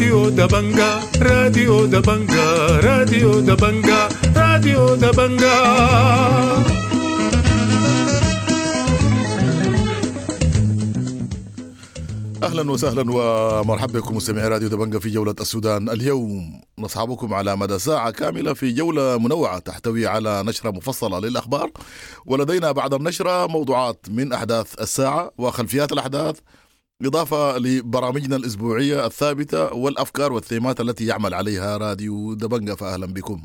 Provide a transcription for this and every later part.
راديو دبنجا، راديو دبنجا، راديو دبنجا، راديو دبنجا. اهلا وسهلا ومرحبا بكم مستمعي راديو دبنجا في جولة السودان اليوم. نصحبكم على مدى ساعة كاملة في جولة منوعة تحتوي على نشرة مفصلة للأخبار، ولدينا بعد النشرة موضوعات من أحداث الساعة وخلفيات الأحداث، إضافة لبرامجنا الأسبوعية الثابتة والأفكار والثيمات التي يعمل عليها راديو دبنجا. فأهلا بكم.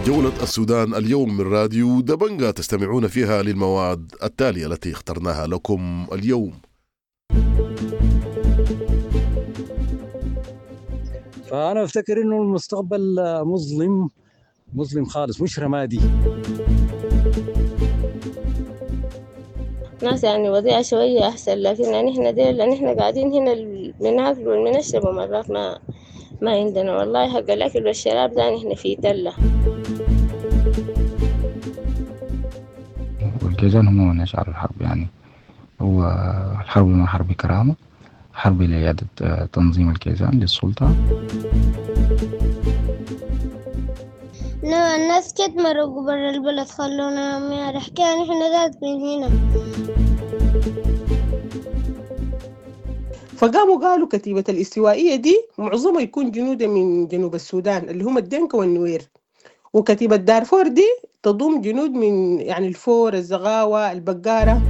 جولة السودان اليوم من راديو دبنجا تستمعون فيها للمواد التالية التي اخترناها لكم اليوم. فأنا أفتكر إنه المستقبل مظلم، مظلم خالص، مش رمادي. ناس يعني وضيعة شوية أحسن، لكن يعني إحنا ديل يعني إحنا قاعدين هنا بناكل وبنشرب ومرات ما عندنا والله حق الأكل والشراب ده، إحنا في تلة. والكيزان هم من أشعار الحرب، يعني هو الحرب ما حرب كرامة، حرب لإعادة تنظيم الكيزان للسلطة. الناس كت مرقوا برا البلد خلونا ما حكينا إحنا ذات من هنا. فقاموا قالوا كتيبة الاستوائية دي معظمها يكون جنودا من جنوب السودان اللي هم الدنكا والنوير، وكتيبة دارفور دي تضم جنود من يعني الفور، الزغاوة، البقارة.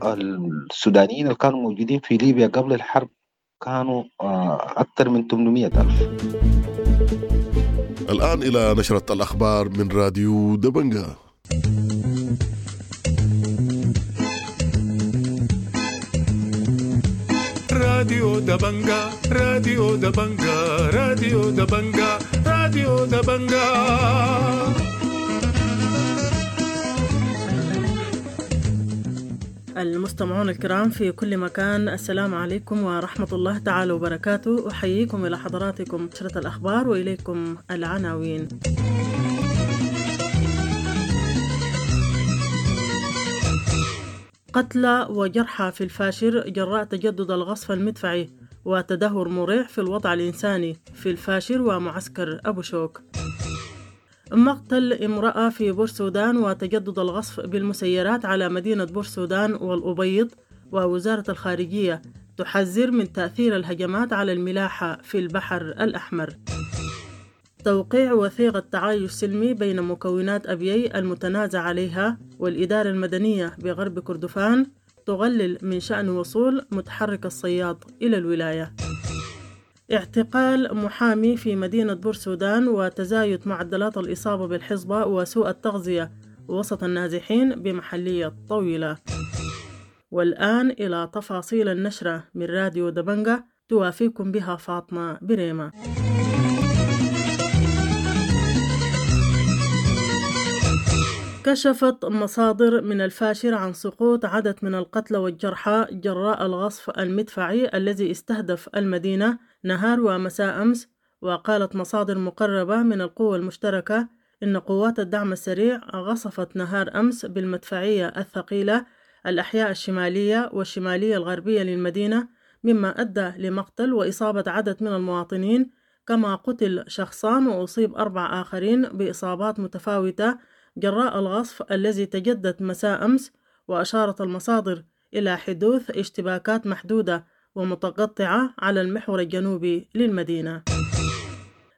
السودانيين اللي كانوا موجودين في ليبيا قبل الحرب كانوا أكثر من 800,000. الآن إلى نشرة الأخبار من راديو دبنجا. راديو دبنجا، راديو دبنجا، راديو دبنجا، راديو دبنجا. المستمعون الكرام في كل مكان، السلام عليكم ورحمة الله تعالى وبركاته. أحييكم إلى حضراتكم نشرة الأخبار وإليكم العناوين. قتلى وجرحى في الفاشر جراء تجدد الغصف المدفعي وتدهور مريع في الوضع الإنساني في الفاشر ومعسكر أبو شوك. مقتل امرأة في بورسودان وتجدد الغصف بالمسيرات على مدينة بورسودان والأبيض، ووزارة الخارجية تحذر من تأثير الهجمات على الملاحة في البحر الأحمر. توقيع وثيقة تعايش سلمي بين مكونات أبيي المتنازع عليها والإدارة المدنية بغرب كردفان تقلل من شأن وصول متحرك الصياد إلى الولاية. اعتقال محامي في مدينة بورسودان وتزايد معدلات الإصابة بالحصبة وسوء التغذية وسط النازحين بمحلية طويلة. والآن إلى تفاصيل النشرة من راديو دبنجا توافيكم بها فاطمة بريمة. كشفت مصادر من الفاشر عن سقوط عدد من القتلى والجرحى جراء الغصف المدفعي الذي استهدف المدينة نهار ومساء أمس. وقالت مصادر مقربة من القوى المشتركة إن قوات الدعم السريع غصفت نهار أمس بالمدفعية الثقيلة الأحياء الشمالية والشمالية الغربية للمدينة، مما أدى لمقتل وإصابة عدد من المواطنين، كما قتل شخصان وأصيب 4 آخرين بإصابات متفاوتة جراء الغصف الذي تجدد مساء أمس. وأشارت المصادر إلى حدوث اشتباكات محدودة ومتقطعة على المحور الجنوبي للمدينة.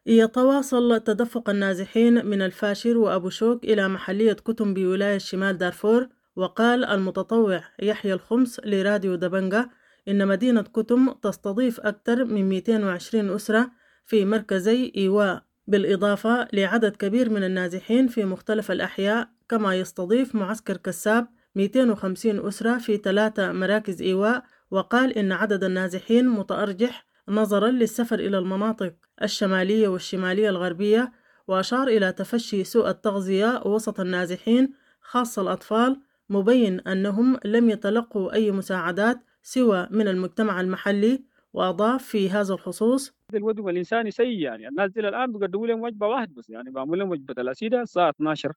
يتواصل تدفق النازحين من الفاشر وأبو شوك إلى محلية كتم بولاية شمال دارفور. وقال المتطوع يحيى الخمس لراديو دبنجا إن مدينة كتم تستضيف أكثر من 220 أسرة في مركزي إيواء، بالإضافة لعدد كبير من النازحين في مختلف الأحياء، كما يستضيف معسكر كساب 250 أسرة في 3 مراكز إيواء. وقال إن عدد النازحين متأرجح نظرا للسفر إلى المناطق الشمالية والشمالية الغربية، وأشار إلى تفشي سوء التغذية وسط النازحين خاصة الأطفال، مبين أنهم لم يتلقوا أي مساعدات سوى من المجتمع المحلي. وأضاف في هذا الخصوص: الوضع الإنساني سيء، يعني الناس دي الآن بيقدموا لهم وجبة واحدة بس، يعني بيعملوا لهم وجبة الأسيدة الساعة 12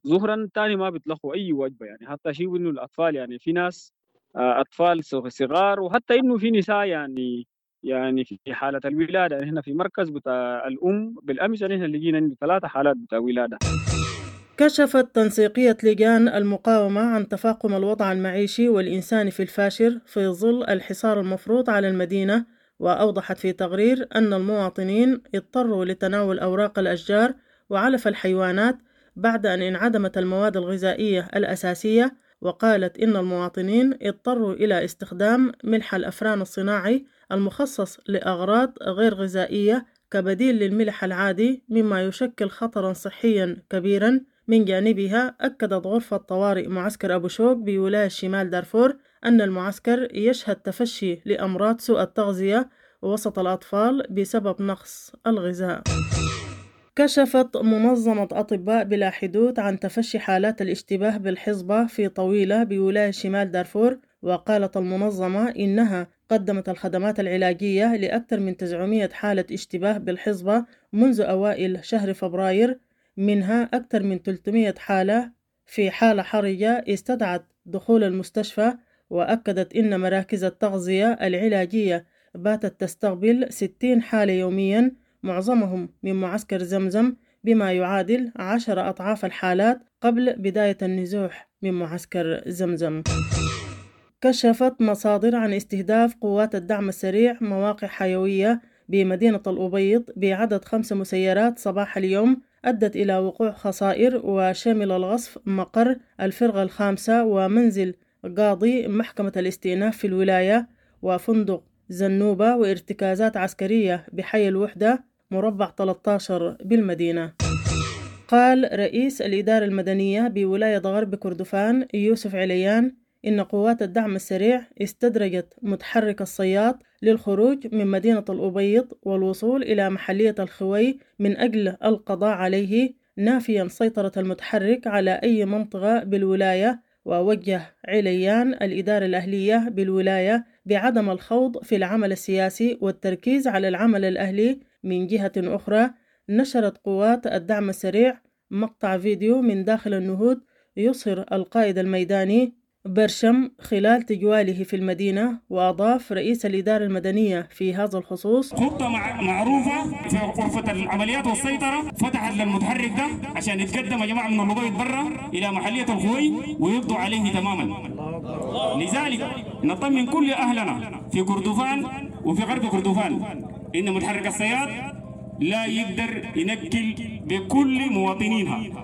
ظهرا، تاني ما بيتلقوا أي وجبة. يعني حتى شيء إنه الأطفال، يعني في ناس أطفال صغار، وحتى إنه في نساء يعني في حالة الولادة. يعني هنا في مركز بتاع الأم بالأمس يعني هنا لقينا 3 حالات بتاع ولادة. كشفت تنسيقية لجان المقاومة عن تفاقم الوضع المعيشي والإنساني في الفاشر في ظل الحصار المفروض على المدينة، وأوضحت في تقرير أن المواطنين اضطروا لتناول أوراق الأشجار وعلف الحيوانات بعد أن انعدمت المواد الغذائية الأساسية. وقالت إن المواطنين اضطروا إلى استخدام ملح الأفران الصناعي المخصص لأغراض غير غذائية كبديل للملح العادي، مما يشكل خطرا صحيا كبيرا. من جانبها أكدت غرفة طوارئ معسكر أبو شوك بولاية شمال دارفور أن المعسكر يشهد تفشي لأمراض سوء التغذية وسط الأطفال بسبب نقص الغذاء. كشفت منظمة أطباء بلا حدود عن تفشي حالات الاشتباه بالحصبة في طويلة بولاية شمال دارفور، وقالت المنظمة إنها قدمت الخدمات العلاجية لأكثر من 900 حالة اشتباه بالحصبة منذ أوائل شهر فبراير، منها أكثر من 300 حالة في حالة حرجة استدعت دخول المستشفى. وأكدت إن مراكز التغذية العلاجية باتت تستقبل 60 حالة يوميا، معظمهم من معسكر زمزم، بما يعادل 10 أضعاف الحالات قبل بداية النزوح من معسكر زمزم. كشفت مصادر عن استهداف قوات الدعم السريع مواقع حيوية بمدينة الأبيض بعدد 5 مسيرات صباح اليوم، أدت إلى وقوع خسائر، وشمل الغصف مقر الفرقة الخامسة ومنزل قاضي محكمة الاستئناف في الولاية وفندق زنوبة وارتكازات عسكرية بحي الوحدة مربع 13 بالمدينة. قال رئيس الإدارة المدنية بولاية غرب كردفان يوسف عليان إن قوات الدعم السريع استدرجت متحرك الصياد للخروج من مدينة الأبيض والوصول إلى محلية الخوي من أجل القضاء عليه، نافيا سيطرة المتحرك على أي منطقة بالولاية. ووجه عليان الإدارة الأهلية بالولاية بعدم الخوض في العمل السياسي والتركيز على العمل الأهلي. من جهة أخرى نشرت قوات الدعم السريع مقطع فيديو من داخل النهود يظهر القائد الميداني برشم خلال تجواله في المدينة. وأضاف رئيس الإدارة المدنية في هذا الخصوص: خطة معروفة في غرفة العمليات والسيطرة فتحت للمتحرك ده عشان يتقدم يا جماعة من الأبيض برا إلى محلية الخوي ويقضوا عليه تماما. لذلك نطمن كل أهلنا في كردفان وفي غرب كردفان إن متحرك الصياد لا يقدر ينكل بكل مواطنينها.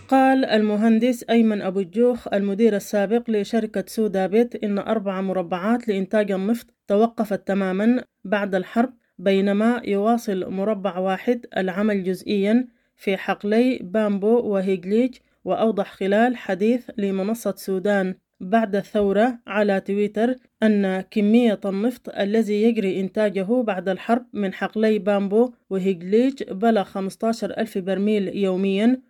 قال المهندس أيمن أبو الجوخ المدير السابق لشركة سودابت إن 4 مربعات لإنتاج النفط توقفت تماما بعد الحرب، بينما يواصل مربع واحد العمل جزئيا في حقلي بامبو وهيجليج. وأوضح خلال حديث لمنصة سودان بعد الثورة على تويتر أن كمية النفط الذي يجري إنتاجه بعد الحرب من حقلي بامبو وهيجليج بلغ 15,000 برميل يوميا،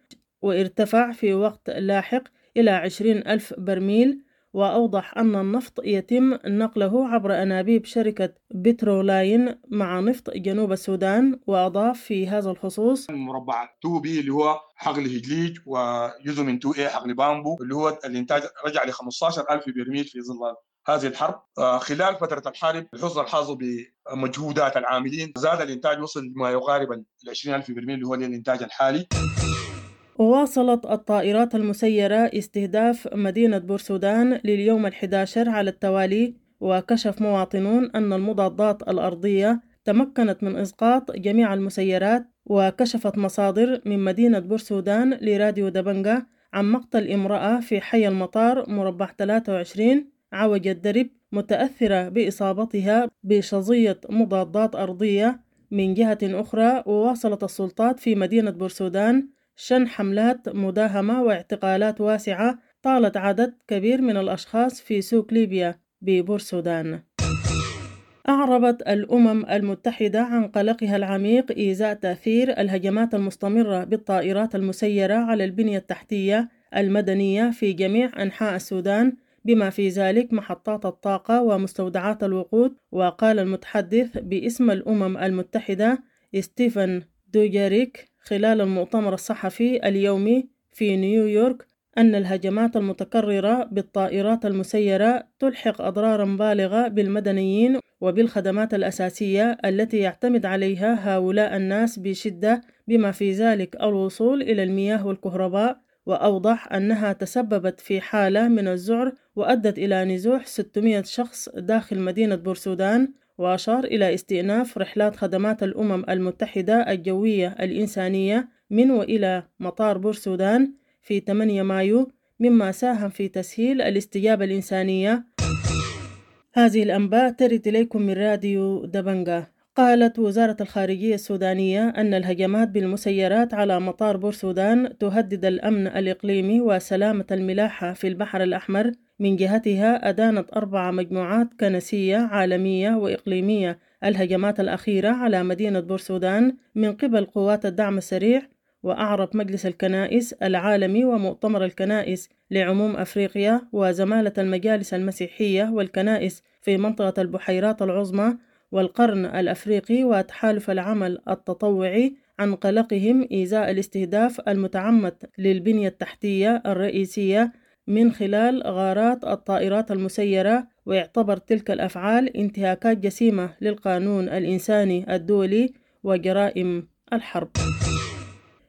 وارتفع في وقت لاحق إلى 20,000 برميل. وأوضح أن النفط يتم نقله عبر أنابيب شركة بترولاين مع نفط جنوب السودان. وأضاف في هذا الخصوص: مربع 2B اللي هو حقل هجليج، وجزء من 2A حقل بامبو اللي هو الإنتاج رجع ل 15,000 برميل في ظل هذه الحرب. خلال فترة الحرب الحصن الحاصل بمجهودات العاملين زاد الإنتاج، وصل ما يقارب 20,000 برميل اللي هو الإنتاج الحالي. وواصلت الطائرات المسيرة استهداف مدينة بورسودان لليوم 11 على التوالي، وكشف مواطنون أن المضادات الأرضية تمكنت من إسقاط جميع المسيرات. وكشفت مصادر من مدينة بورسودان لراديو دبنجة عن مقتل امرأة في حي المطار مربع 23 عوج الدرب متأثرة بإصابتها بشظية مضادات أرضية. من جهة أخرى وواصلت السلطات في مدينة بورسودان شن حملات مداهمة واعتقالات واسعة طالت عدد كبير من الأشخاص في سوق ليبيا ببورسودان. أعربت الأمم المتحدة عن قلقها العميق إزاء تأثير الهجمات المستمرة بالطائرات المسيرة على البنية التحتية المدنية في جميع أنحاء السودان، بما في ذلك محطات الطاقة ومستودعات الوقود. وقال المتحدث باسم الأمم المتحدة ستيفن دوجاريك خلال المؤتمر الصحفي اليومي في نيويورك أن الهجمات المتكررة بالطائرات المسيرة تلحق أضرارا بالغة بالمدنيين وبالخدمات الأساسية التي يعتمد عليها هؤلاء الناس بشدة، بما في ذلك الوصول إلى المياه والكهرباء. وأوضح أنها تسببت في حالة من الذعر وأدت إلى نزوح 600 شخص داخل مدينة بورسودان. وأشار إلى استئناف رحلات خدمات الأمم المتحدة الجوية الإنسانية من وإلى مطار بورسودان في 8 مايو، مما ساهم في تسهيل الاستجابة الإنسانية. هذه الأنباء ترد إليكم من راديو دبنجة. قالت وزارة الخارجية السودانية أن الهجمات بالمسيرات على مطار بورسودان تهدد الأمن الإقليمي وسلامة الملاحة في البحر الأحمر. من جهتها أدانت 4 مجموعات كنسية عالمية وإقليمية الهجمات الأخيرة على مدينة بورسودان من قبل قوات الدعم السريع. وأعرب مجلس الكنائس العالمي ومؤتمر الكنائس لعموم أفريقيا وزمالة المجالس المسيحية والكنائس في منطقة البحيرات العظمى والقرن الأفريقي وتحالف العمل التطوعي عن قلقهم إزاء الاستهداف المتعمد للبنية التحتية الرئيسية من خلال غارات الطائرات المسيرة، ويعتبر تلك الأفعال انتهاكات جسيمة للقانون الإنساني الدولي وجرائم الحرب.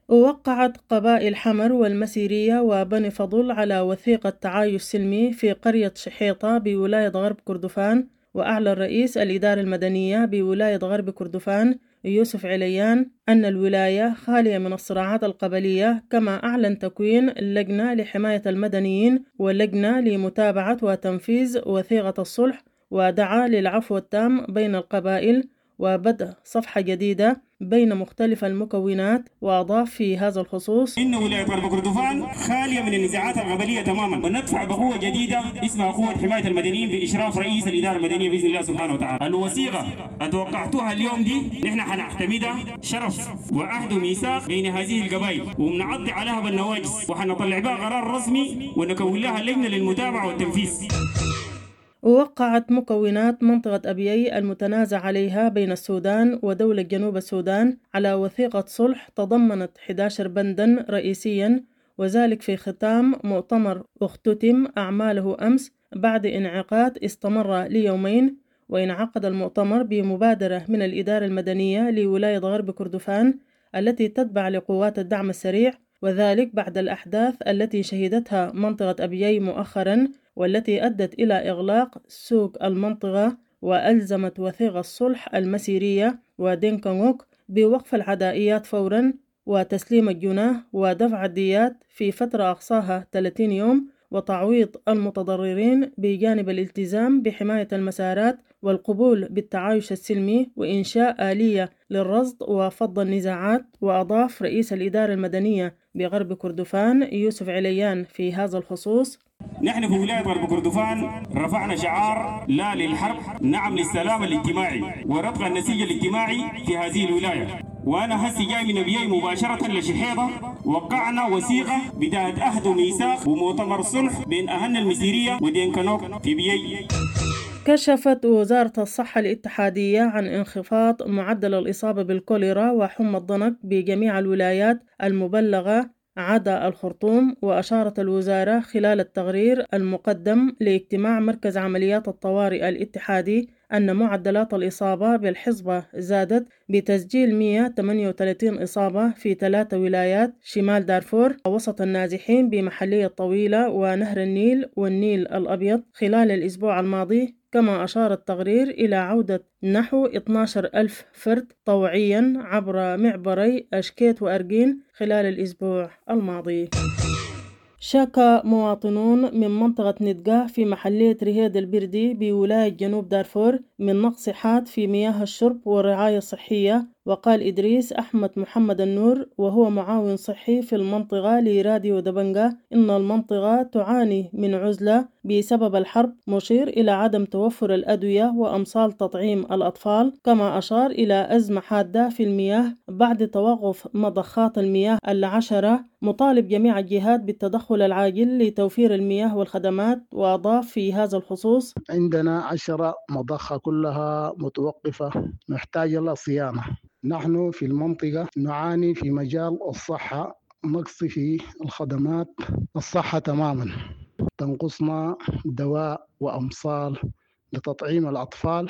ووقعت قبائل حمر والمسيرية وبني فضل على وثيقة تعايش سلمي في قرية شحيطة بولاية غرب كردفان. وأعلن رئيس الإدارة المدنية بولاية غرب كردفان يوسف عليان أن الولاية خالية من الصراعات القبلية، كما أعلن تكوين لجنة لحماية المدنيين ولجنة لمتابعة وتنفيذ وثيقة الصلح، ودعا للعفو التام بين القبائل وبدء صفحة جديدة بين مختلف المكونات. وأضاف في هذا الخصوص: إن ولاية غرب كردفان خالية من النزاعات القبلية تماما، وندفع بقوة جديدة اسمها قوة حماية المدنيين بإشراف رئيس الإدارة المدنية بإذن الله سبحانه وتعالى. الوثيقة أتوقعتها اليوم دي نحن حنعتمدها شرف وعهد وميثاق بين هذه القبائل، وبنعضي عليها بالنواجس، وحنطلع بها قرار رسمي ونكون لها لجنة للمتابعة والتنفيذ. ووقعت مكونات منطقة أبيي المتنازع عليها بين السودان ودولة جنوب السودان على وثيقة صلح تضمنت 11 بندا رئيسيا، وذلك في ختام مؤتمر اختتم أعماله أمس بعد انعقاد استمر ليومين. وانعقد المؤتمر بمبادرة من الإدارة المدنية لولاية غرب كردفان التي تتبع لقوات الدعم السريع، وذلك بعد الأحداث التي شهدتها منطقة أبيي مؤخرا والتي أدت إلى إغلاق سوق المنطقة، وألزمت وثيقة الصلح المسيرية ودينكانغوك بوقف العدائيات فورا وتسليم الجناه ودفع الديات في فترة أقصاها 30 يوم وتعويض المتضررين، بجانب الالتزام بحماية المسارات والقبول بالتعايش السلمي وإنشاء آلية للرصد وفض النزاعات. وأضاف رئيس الإدارة المدنية بغرب كردفان يوسف عليان في هذا الخصوص: نحن في ولاية غرب كردفان رفعنا شعار لا للحرب نعم للسلام الاجتماعي ورتق النسيج الاجتماعي في هذه الولاية. وأنا هسي جاي من أبيي مباشرة لشحيطة، وقعنا وثيقة بداية عهد وميثاق ومؤتمر صلح بين أهلنا المسيرية ودينكانوك في بيي. كشفت وزارة الصحة الاتحادية عن انخفاض معدل الإصابة بالكوليرا وحمى الضنك بجميع الولايات المبلغة عدا الخرطوم. وأشارت الوزارة خلال التقرير المقدم لاجتماع مركز عمليات الطوارئ الاتحادي أن معدلات الإصابة بالحصبة زادت بتسجيل 138 إصابة في 3 ولايات شمال دارفور وسط النازحين بمحلية طويلة ونهر النيل والنيل الأبيض خلال الأسبوع الماضي. كما أشار التقرير إلى عودة نحو 12,000 فرد طوعيا عبر معبري أشكيت وأرجين خلال الأسبوع الماضي. شكا مواطنون من منطقة ندقة في محلية رهيد البردي بولاية جنوب دارفور من نقص حاد في مياه الشرب والرعاية الصحية، وقال إدريس أحمد محمد النور، وهو معاون صحي في المنطقة لراديو دبنجة، إن المنطقة تعاني من عزلة بسبب الحرب، مشير إلى عدم توفر الأدوية وأمصال تطعيم الأطفال. كما أشار إلى أزمة حادة في المياه بعد توقف مضخات المياه العشرة، مطالب جميع الجهات بالتدخل العاجل لتوفير المياه والخدمات. وأضاف في هذا الخصوص: عندنا 10 مضخة كلها متوقفة محتاجة لصيانة. نحن في المنطقة نعاني في مجال الصحة نقص في الخدمات الصحة تماما، تنقصنا دواء وأمصال لتطعيم الأطفال.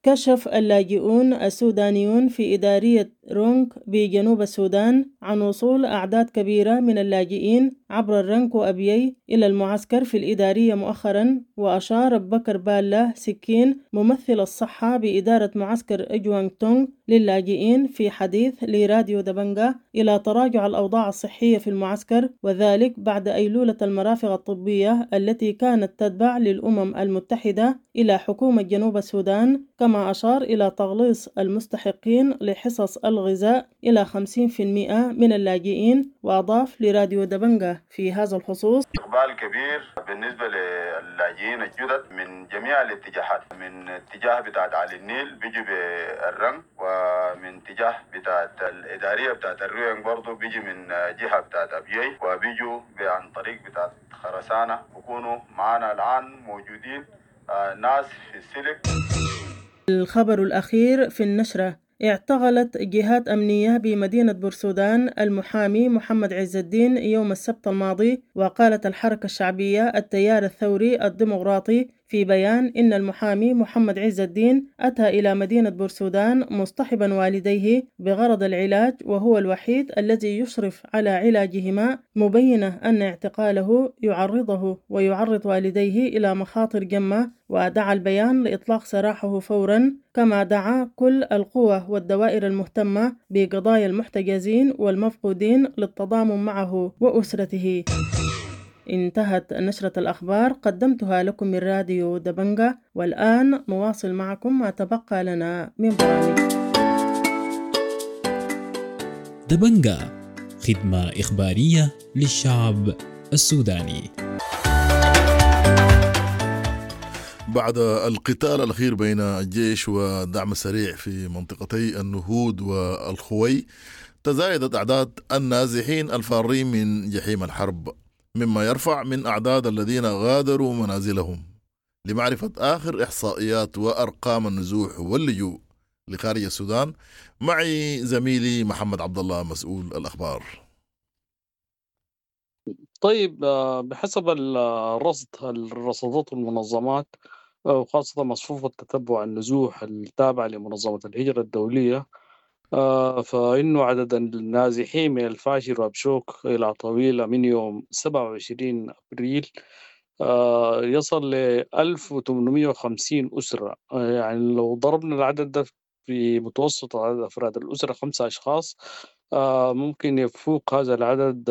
كشف اللاجئون السودانيون في إدارية رونك بجنوب السودان عن وصول أعداد كبيرة من اللاجئين عبر الرنك وأبيي إلى المعسكر في الإدارية مؤخرا. وأشار بكر بالة سكين، ممثل الصحة بإدارة معسكر إجوانغ تونغ للاجئين، في حديث لراديو دبنجة إلى تراجع الأوضاع الصحية في المعسكر، وذلك بعد أيلولة المرافق الطبية التي كانت تتبع للأمم المتحدة إلى حكومة جنوب السودان. كما أشار إلى تغليص المستحقين لحصص الغذاء إلى 50% من اللاجئين. وأضاف لراديو دبنجة في هذا الخصوص: إقبال كبير بالنسبة للاجئين الجدد من جميع الاتجاهات، من اتجاه بتاعت علي النيل بيجي بالرنك، ومن اتجاه بتاعت الإدارية بتاعت الروينج برضو بيجي من جهة بتاعت أبيي، وبيجوا عن طريق بتاعت خرسانة. بيكونوا معانا الآن موجودين ناس في السلك. الخبر الأخير في النشرة: اعتقلت جهات أمنية بمدينة بورسودان المحامي محمد عز الدين يوم السبت الماضي. وقالت الحركة الشعبية التيار الثوري الديمقراطي في بيان إن المحامي محمد عز الدين أتى إلى مدينة بورسودان مصطحبا والديه بغرض العلاج، وهو الوحيد الذي يشرف على علاجهما، مبينة أن اعتقاله يعرضه ويعرض والديه إلى مخاطر جمة. ودعا البيان لإطلاق سراحه فورا، كما دعا كل القوى والدوائر المهتمة بقضايا المحتجزين والمفقودين للتضامن معه وأسرته. انتهت نشرة الأخبار، قدمتها لكم من راديو دبنجة، والآن نواصل معكم ما تبقى لنا من برامج. دبنجة، خدمة إخبارية للشعب السوداني. بعد القتال الأخير بين الجيش والدعم السريع في منطقتي النهود والخوي، تزايدت أعداد النازحين الفارين من جحيم الحرب، مما يرفع من أعداد الذين غادروا منازلهم. لمعرفة آخر إحصائيات وأرقام النزوح واللجوء لخارج السودان، معي زميلي محمد عبد الله مسؤول الأخبار. طيب، بحسب الرصد الرصدات المنظمات، وخاصة مصفوفة تتبع النزوح التابعة لمنظمة الهجرة الدولية، فإنه عدد النازحين من الفاشر وأبشوك إلى طويلة من يوم 27 أبريل يصل ل 1850 أسرة. يعني لو ضربنا العدد ده في متوسط عدد أفراد الأسرة 5 أشخاص، ممكن يفوق هذا العدد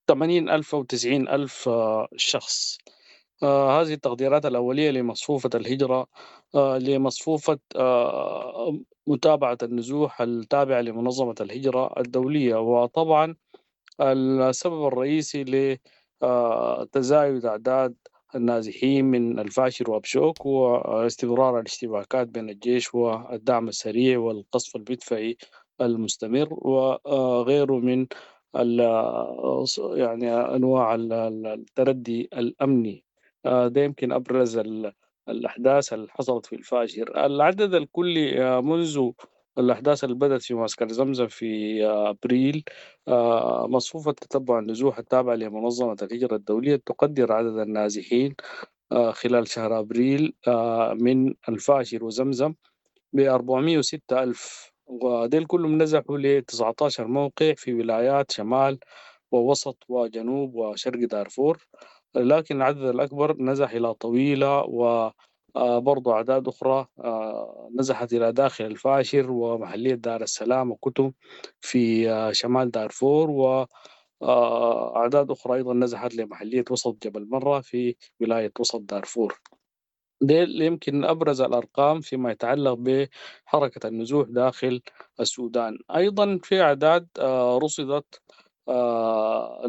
80,000 أو 90,000 شخص. هذه التقديرات الأولية لمصفوفة الهجرة، لمصفوفة متابعة النزوح التابعة لمنظمة الهجرة الدولية. وطبعا السبب الرئيسي لتزايد أعداد النازحين من الفاشر وأبشوك هو استمرار الاشتباكات بين الجيش والدعم السريع والقصف المدفعي المستمر وغيره من يعني أنواع التردي الأمني. ده يمكن أبرز الأحداث اللي حصلت في الفاشر. العدد الكلي منذ الأحداث اللي بدأت في معسكر زمزم في أبريل، مصفوفة تتبع النزوح التابعة لمنظمة الهجرة الدولية تقدر عدد النازحين خلال شهر أبريل من الفاشر وزمزم ب406 ألف، وديل كلهم نزحوا ل 19 موقع في ولايات شمال ووسط وجنوب وشرق دارفور، لكن العدد الأكبر نزح إلى طويلة، وبرضو أعداد أخرى نزحت إلى داخل الفاشر ومحلية دار السلام وكتم في شمال دارفور، وأعداد أخرى أيضا نزحت لمحلية وسط جبل مرة في ولاية وسط دارفور. ديل يمكن أبرز الأرقام فيما يتعلق بحركة النزوح داخل السودان. أيضا في أعداد رصدت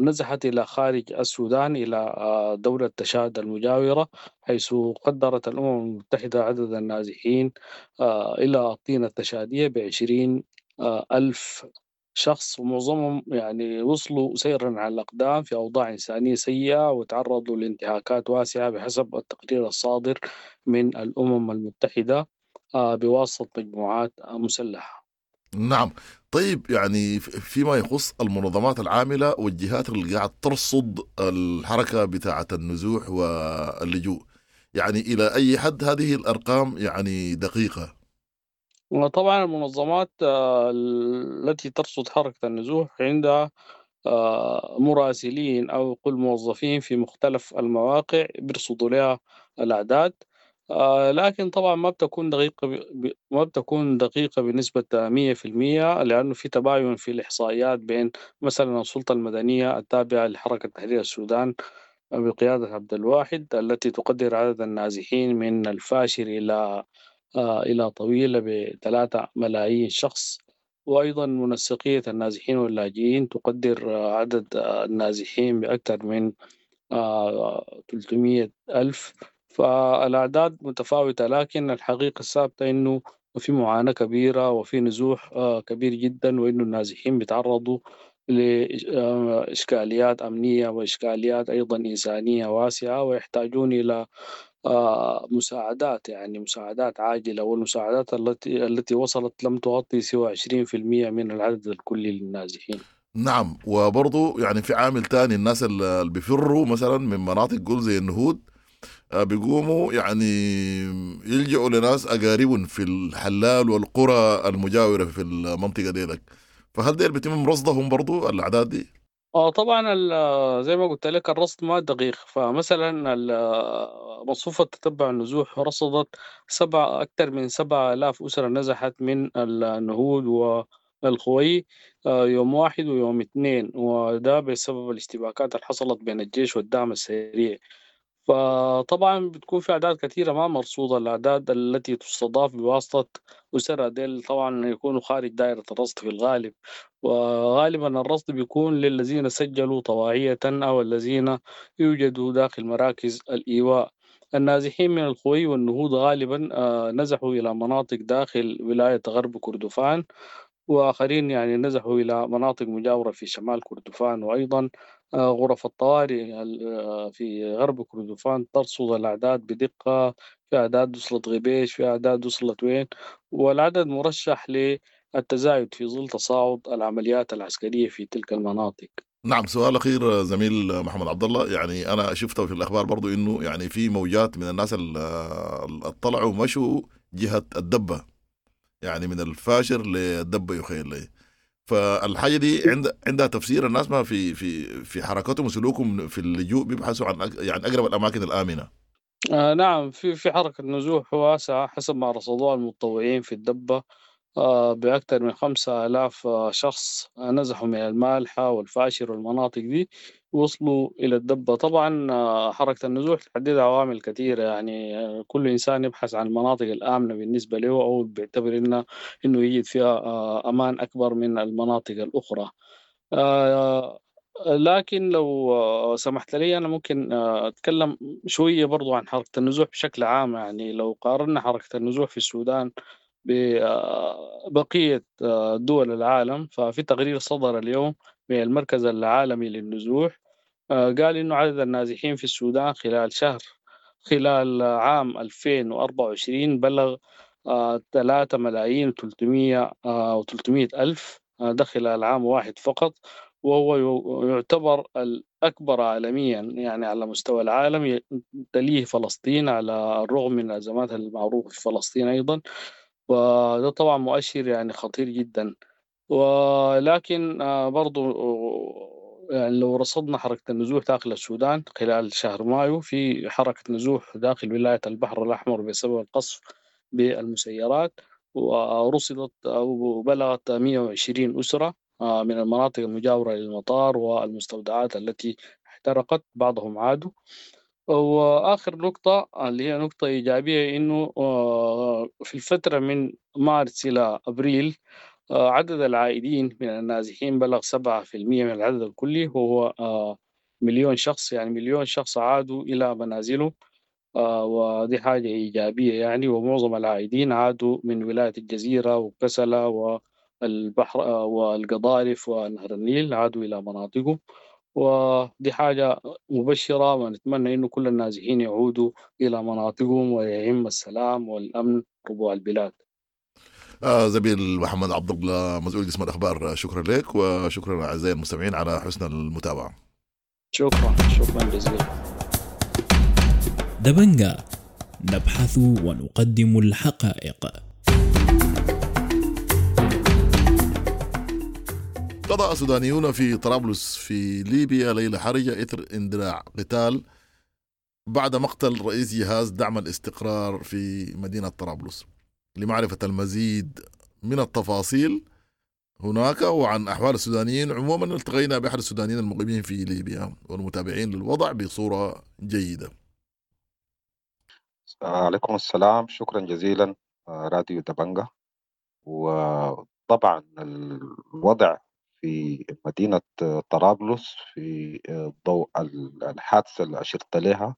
نزحت إلى خارج السودان إلى دولة تشاد المجاورة، حيث قدرت الأمم المتحدة عدد النازحين إلى الطينة التشادية ب20 ألف شخص، ومعظمهم وصلوا سيرا على الأقدام في أوضاع إنسانية سيئة وتعرضوا لانتهاكات واسعة بحسب التقرير الصادر من الأمم المتحدة بواسطة مجموعات مسلحة. نعم. طيب، فيما يخص المنظمات العاملة والجهات اللي قاعد ترصد الحركة بتاعة النزوح واللجوء، إلى أي حد هذه الأرقام دقيقة؟ وطبعا المنظمات التي ترصد حركة النزوح عندها مراسلين أو قل موظفين في مختلف المواقع بيرصدوا لها الأعداد، لكن طبعا ما بتكون دقيقة بنسبة مية في المية، لأنه في تباين في الإحصائيات بين مثلا السلطة المدنية التابعة لحركة تحرير السودان بقيادة عبد الواحد التي تقدر عدد النازحين من الفاشر إلى طويلة ب3 ملايين شخص، وأيضا منسقية النازحين واللاجئين تقدر عدد النازحين بأكثر من 300 ألف. فالأعداد متفاوتة، لكن الحقيقة الثابتة إنه في معاناة كبيرة وفي نزوح كبير جدا، وإنه النازحين بيتعرضوا لإشكاليات أمنية وإشكاليات أيضا إنسانية واسعة، ويحتاجون إلى مساعدات، مساعدات عاجلة، والمساعدات التي وصلت لم تغطي سوى عشرين في المية من العدد الكلي للنازحين. نعم. وبرضو في عامل تاني، الناس اللي بيفروا مثلا من مناطق قول زي النهود، بيقوموا يلجؤوا لناس أقاربهم في الحلال والقرى المجاورة في المنطقة ديلك، فهل ديل بيتم رصدهم برضو الأعداد دي؟ طبعاً زي ما قلت لك الرصد ما دقيق. فمثلاً مصفوفة تتبع النزوح رصدت أكثر من 7000 أسرة نزحت من النهود والخوي يوم 1 ويوم 2، وده بسبب الاشتباكات اللي حصلت بين الجيش والدعم السريع. فطبعاً بتكون في أعداد كثيرة ما مرصودة، الأعداد التي تستضاف بواسطة أسرة ديل طبعاً يكونوا خارج دائرة الرصد في الغالب، وغالباً الرصد بيكون للذين سجلوا طواعية أو الذين يوجدوا داخل مراكز الإيواء. النازحين من الخوي والنهود غالباً نزحوا إلى مناطق داخل ولاية غرب كردفان، وآخرين نزحوا إلى مناطق مجاورة في شمال كردفان. وأيضاً، غرف الطوارئ في غرب كردفان ترصد الأعداد بدقة، في أعداد وصلت غبيش، في أعداد وصلت وين، والعدد مرشح للتزايد في ظل تصاعد العمليات العسكرية في تلك المناطق. نعم. سؤال أخير زميل محمد عبد الله، أنا شفته في الأخبار برضو إنه في موجات من الناس اللي طلعوا مشوا جهة الدبة، من الفاشر للدبة يخيل لي، فالحاجة دي عندها تفسير. الناس ما في حركتهم وسلوكهم في اللجوء بيبحثوا عن أقرب الأماكن الآمنة. نعم، في حركة نزوح واسعة حسب ما رصدوها المتطوعين في الدبة، بأكثر من 5000 شخص نزحوا من المالحة والفاشر والمناطق دي وصلوا إلى الدبة. طبعا، حركة النزوح تحدد عوامل كثيرة، كل إنسان يبحث عن المناطق الآمنة بالنسبة له أو بيعتبر إنه يجد فيها أمان أكبر من المناطق الأخرى. لكن لو سمحت لي أنا ممكن أتكلم شوية برضو عن حركة النزوح بشكل عام. لو قارنا حركة النزوح في السودان ببقية دول العالم، ففي تقرير صدر اليوم من المركز العالمي للنزوح، قال إنه عدد النازحين في السودان خلال عام 2024 بلغ تلاتة ملايين وتلتمية، وتلتمية ألف، ده خلال عام واحد فقط، وهو يعتبر الأكبر عالميا، على مستوى العالم، تليه فلسطين على الرغم من الأزمات المعروفة في فلسطين أيضا، وده طبعا مؤشر خطير جدا. ولكن برضو لو رصدنا حركة النزوح داخل السودان خلال شهر مايو، في حركة نزوح داخل ولاية البحر الأحمر بسبب القصف بالمسيرات، ورصدت أو بلغت 120 أسرة من المناطق المجاورة للمطار والمستودعات التي احترقت، بعضهم عادوا. وآخر نقطة اللي هي نقطة إيجابية، إنه في الفترة من مارس إلى أبريل عدد العائدين من النازحين بلغ 7% من العدد الكلي، وهو 1,000,000 شخص، يعني 1,000,000 شخص عادوا إلى منازلهم، ودي حاجة إيجابية يعني. ومعظم العائدين عادوا من ولاية الجزيرة وكسلا والبحر والقضارف ونهر النيل، عادوا إلى مناطقهم، ودي حاجة مبشرة، ونتمنى إنه كل النازحين يعودوا إلى مناطقهم ويعم السلام والأمن ربوع البلاد. زميل محمد عبد الله مسؤول قسم الأخبار، شكرا لك، وشكرا أعزائي المستمعين على حسن المتابعة. شكرا جزيلا. دبنجا، نبحث ونقدم الحقائق. قضى سودانيون في طرابلس في ليبيا ليلة حرجة إثر اندلاع قتال بعد مقتل رئيس جهاز دعم الاستقرار في مدينة طرابلس. لمعرفة المزيد من التفاصيل هناك وعن أحوال السودانيين عموما، التقينا بأحد السودانيين المقيمين في ليبيا والمتابعين للوضع بصورة جيدة. عليكم السلام، شكرا جزيلا راديو دبنجا. وطبعا الوضع في مدينة طرابلس في ضوء الحادثة اللي أشرت لها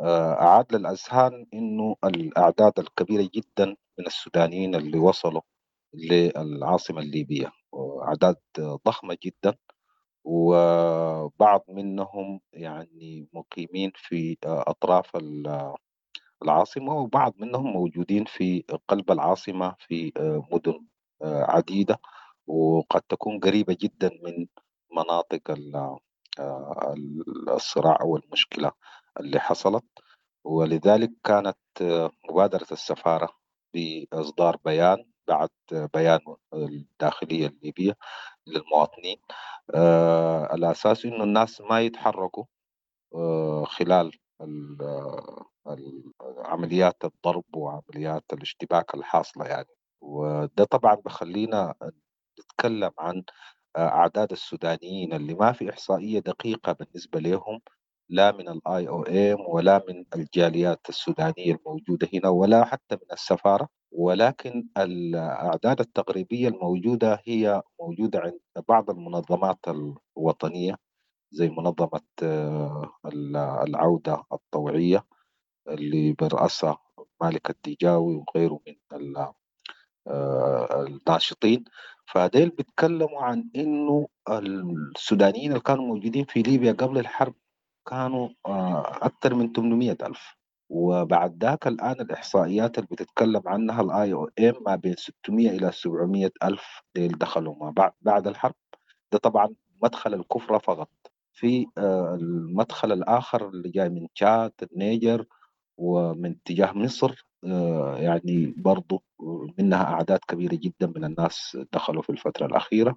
أعاد للأذهان إنه الأعداد الكبيرة جدا من السودانيين اللي وصلوا للعاصمة الليبية، أعداد ضخمة جدا، وبعض منهم يعني مقيمين في أطراف العاصمة، وبعض منهم موجودين في قلب العاصمة في مدن عديدة، وقد تكون قريبة جدا من مناطق الصراع أو المشكلة اللي حصلت. ولذلك كانت مبادرة السفارة بإصدار بيان بعد بيان الداخلية الليبية للمواطنين، على أساس إنه الناس ما يتحركوا خلال عمليات الضرب وعمليات الاشتباك الحاصلة يعني. وده طبعا بخلينا نتكلم عن أعداد السودانيين اللي ما في إحصائية دقيقة بالنسبة لهم، لا من ال IOM ولا من الجاليات السودانية الموجودة هنا ولا حتى من السفارة، ولكن الأعداد التقريبية الموجودة هي موجودة عند بعض المنظمات الوطنية زي منظمة العودة الطوعية اللي برأسها مالك الديجاوي وغيره من الناشطين. فديل بيتكلموا عن إنه السودانيين اللي كانوا موجودين في ليبيا قبل الحرب كانوا أكثر من 800,000، وبعد ذاك الآن الإحصائيات اللي بتتكلم عنها ال IOM ما بين 600 إلى 700 ألف ديل دخلوا ما بعد الحرب. ده طبعا مدخل الكفرة فقط. في المدخل الآخر اللي جاي من تشاد، النيجر، ومن اتجاه مصر، يعني برضو منها أعداد كبيرة جدا من الناس دخلوا في الفترة الأخيرة.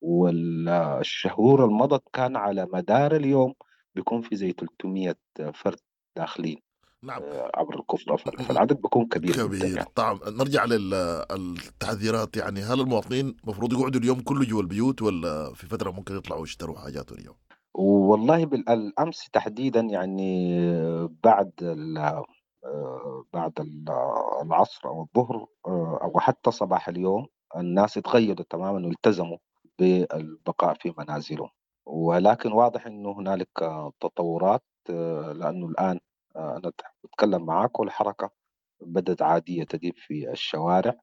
والشهور المضت كان على مدار اليوم بيكون في زي 300 فرد داخلين. نعم. عبر الكفرة، فالعدد بيكون كبير جدا يعني. طبعا نرجع للتحذيرات، يعني هل المواطنين مفروض يقعدوا اليوم كله جوا البيوت ولا في فترة ممكن يطلعوا يشتروا حاجات اليوم؟ والله بالأمس تحديدا يعني بعد العصر أو الظهر أو حتى صباح اليوم الناس تغيروا تماما والتزموا بالبقاء في منازلهم، ولكن واضح أنه هنالك تطورات، لأنه الآن أنا أتكلم معاك والحركة بدأت عادية تجيب في الشوارع،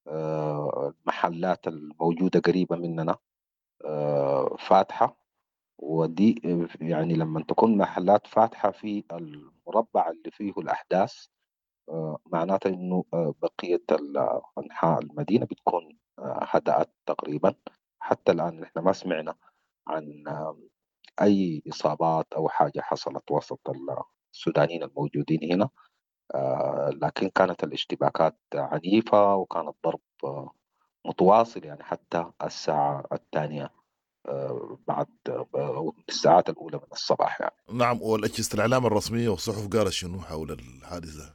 المحلات الموجودة قريبة مننا فاتحة، ودي يعني لما تكون محلات فاتحة في المربع اللي فيه الأحداث معناته إنه بقية أنحاء المدينة بتكون هدأت تقريبا. حتى الآن نحن ما سمعنا عن أي إصابات أو حاجة حصلت وسط السودانيين الموجودين هنا، لكن كانت الاشتباكات عنيفة وكان الضرب متواصل يعني حتى الساعة 2 بعد الساعات الأولى من الصباح يعني. نعم. والأجهزة الإعلام الرسمية والصحف قالت شنو حول الحادثة؟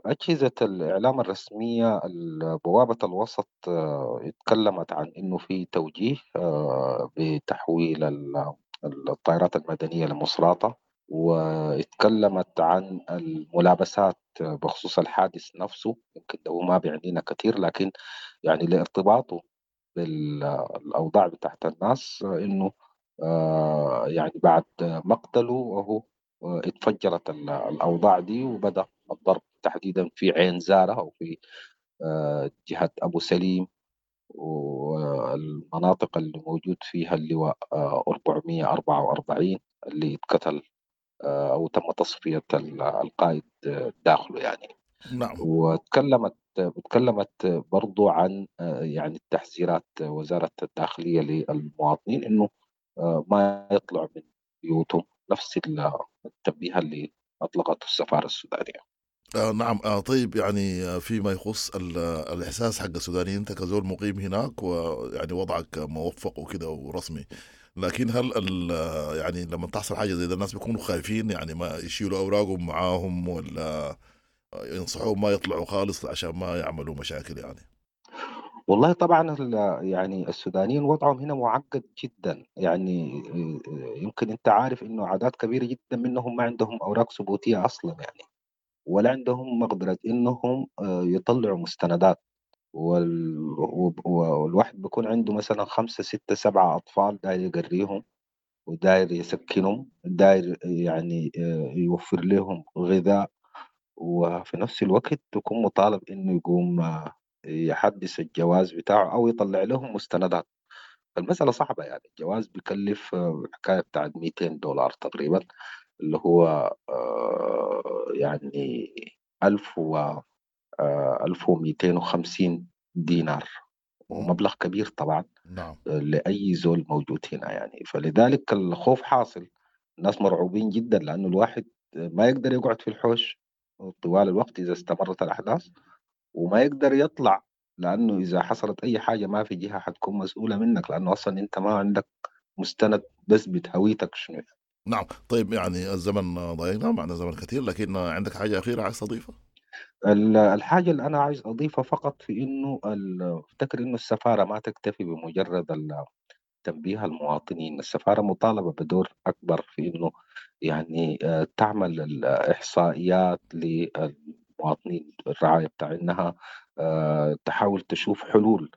أجهزة الإعلام الرسمية بوابة الوسط اتكلمت عن إنه في توجيه بتحويل الطائرات المدنية لمصراتة واتكلمت عن الملابسات بخصوص الحادث نفسه. يمكن ده ما بيعنينا كثير، لكن يعني لارتباطه بالأوضاع بتاعت الناس، إنه يعني بعد مقتله وهو اتفجرت الأوضاع دي وبدأ الضرب تحديدا في عين زارة أو في جهة أبو سليم والمناطق اللي موجود فيها اللواء 444 اللي اتقتل أو تم تصفية القائد داخله يعني. نعم. وتكلمت برضو عن يعني التحذيرات وزارة الداخلية للمواطنين إنه ما يطلعوا من بيوتهم، نفس التنبيه اللي أطلقته السفارة السودانية. نعم. طيب يعني فيما يخص الإحساس حق السودانيين، أنت كزول مقيم هناك ويعني وضعك موفق وكده ورسمي، لكن هل يعني لما تحصل حاجة زي ده الناس بيكونوا خايفين، يعني ما يشيلوا أوراقهم معاهم ولا ينصحوهم ما يطلعوا خالص عشان ما يعملوا مشاكل يعني؟ والله طبعا يعني السودانيين وضعهم هنا معقد جدا، يعني يمكن انت عارف انه اعداد كبيره جدا منهم ما عندهم اوراق ثبوتيه اصلا يعني، ولا عندهم مقدره انهم يطلعوا مستندات، والواحد بيكون عنده مثلا 5 6 7 اطفال داير يقريهم وداير يسكنهم، داير يعني يوفر لهم غذاء، وفي نفس الوقت تكون مطالب انه يقوم يحدث الجواز بتاعه او يطلع لهم مستندات. المسألة صعبة يعني، الجواز بيكلف حكاية بتاعت $200 تقريبا، اللي هو يعني 1250 دينار، ومبلغ كبير طبعا. نعم. لأي زول موجود هنا يعني. فلذلك الخوف حاصل، الناس مرعوبين جدا، لأنه الواحد ما يقدر يقعد في الحوش طوال الوقت إذا استمرت الأحداث، وما يقدر يطلع لأنه إذا حصلت أي حاجة ما في جهة حتكون مسؤولة منك، لأنه أصلا أنت ما عندك مستند بثبت هويتك شنو يعني. نعم. طيب يعني الزمن ضايقنا، معنا زمن كثير، لكن عندك حاجة أخيرة عايز تضيفها؟ الحاجة اللي أنا عايز أضيفها فقط في إنه أفتكر إنه السفارة ما تكتفي بمجرد تنبيه المواطنين، السفارة مطالبة بدور أكبر في إنه يعني تعمل الإحصائيات للمواطنين، الرعاية بتاعينها، تحاول تشوف حلول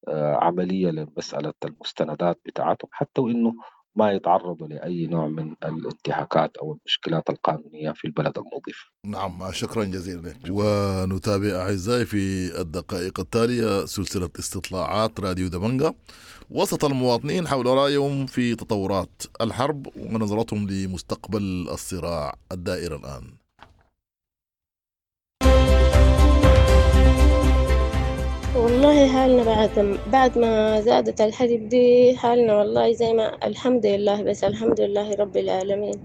عملية لمسألة المستندات بتاعتهم، حتى وإنه ما يتعرضوا لأي نوع من الانتهاكات أو المشكلات القانونية في البلد المضيف. نعم، شكرا جزيلا لك. ونتابع أعزائي في الدقائق التالية سلسلة استطلاعات راديو دبنجة وسط المواطنين حول رأيهم في تطورات الحرب ونظرتهم لمستقبل الصراع الدائر الآن. والله حالنا بعد ما زادت الحرب دي حالنا والله زي ما الحمد لله، بس الحمد لله رب العالمين.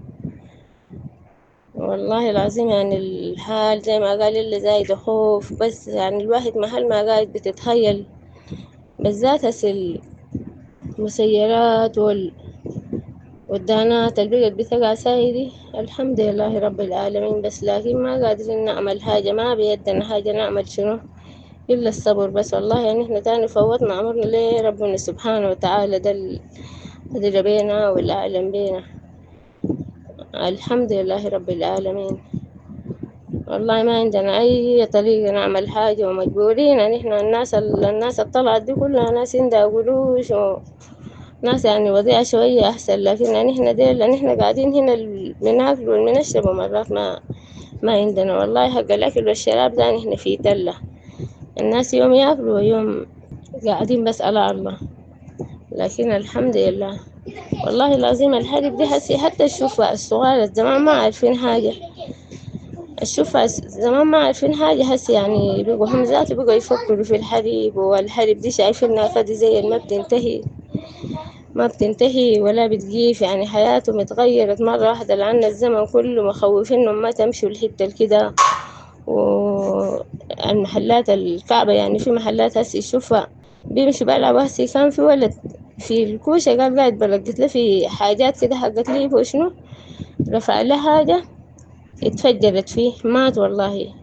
والله العظيم يعني الحال زي ما قال اللي زايد خوف، بس يعني الواحد محل ما قاعد بتتخيل، بالذات هسه المسيرات والدانات اللي بقت بتقع سايدي. الحمد لله رب العالمين، بس لكن ما قادرين نعمل حاجة، ما بيدنا حاجة نعمل شنو إلا الصبر بس. والله يعني إحنا تاني فوتنا أمرنا ليه ربنا سبحانه وتعالى، ده اللي بينا والأعلم بينا. الحمد لله رب العالمين. والله ما عندنا أي طريقة نعمل حاجة ومجبورين يعني إحنا الناس الطلعت دي كلها ناس عندها قروش وناس يعني وضيعة شوية أحسن، لكن يعني إحنا ديل يعني إحنا قاعدين هنا بناكل وبنشرب ومرات ما عندنا والله حق الأكل والشراب ده. إحنا في تلة الناس يوم ياكلوا ويوم قاعدين بس على الله، لكن الحمد لله. والله العظيم الحرب دي حسي حتى الشوفة الصغار زمان ما عارفين حاجة، الشوفة زمان ما عارفين حاجة، هسي يعني بقوا هم ذاته بقوا يفكروا في الحرب، والحرب دي شايفينها فدي زي ما بتنتهي، ما بتنتهي ولا بتجيف، يعني حياتهم اتغيرت مرة واحدة، لأن الزمن كله مخوفينهم ما تمشوا الحتة كده. والمحلات الكعبة يعني في محلات هسي الشوفة بيمشوا بلعبوا. هسي كان في ولد في الكوشة قال قاعد بلقت له في حاجات كده حقت لي وشنو، رفع له حاجة اتفجرت فيه مات والله.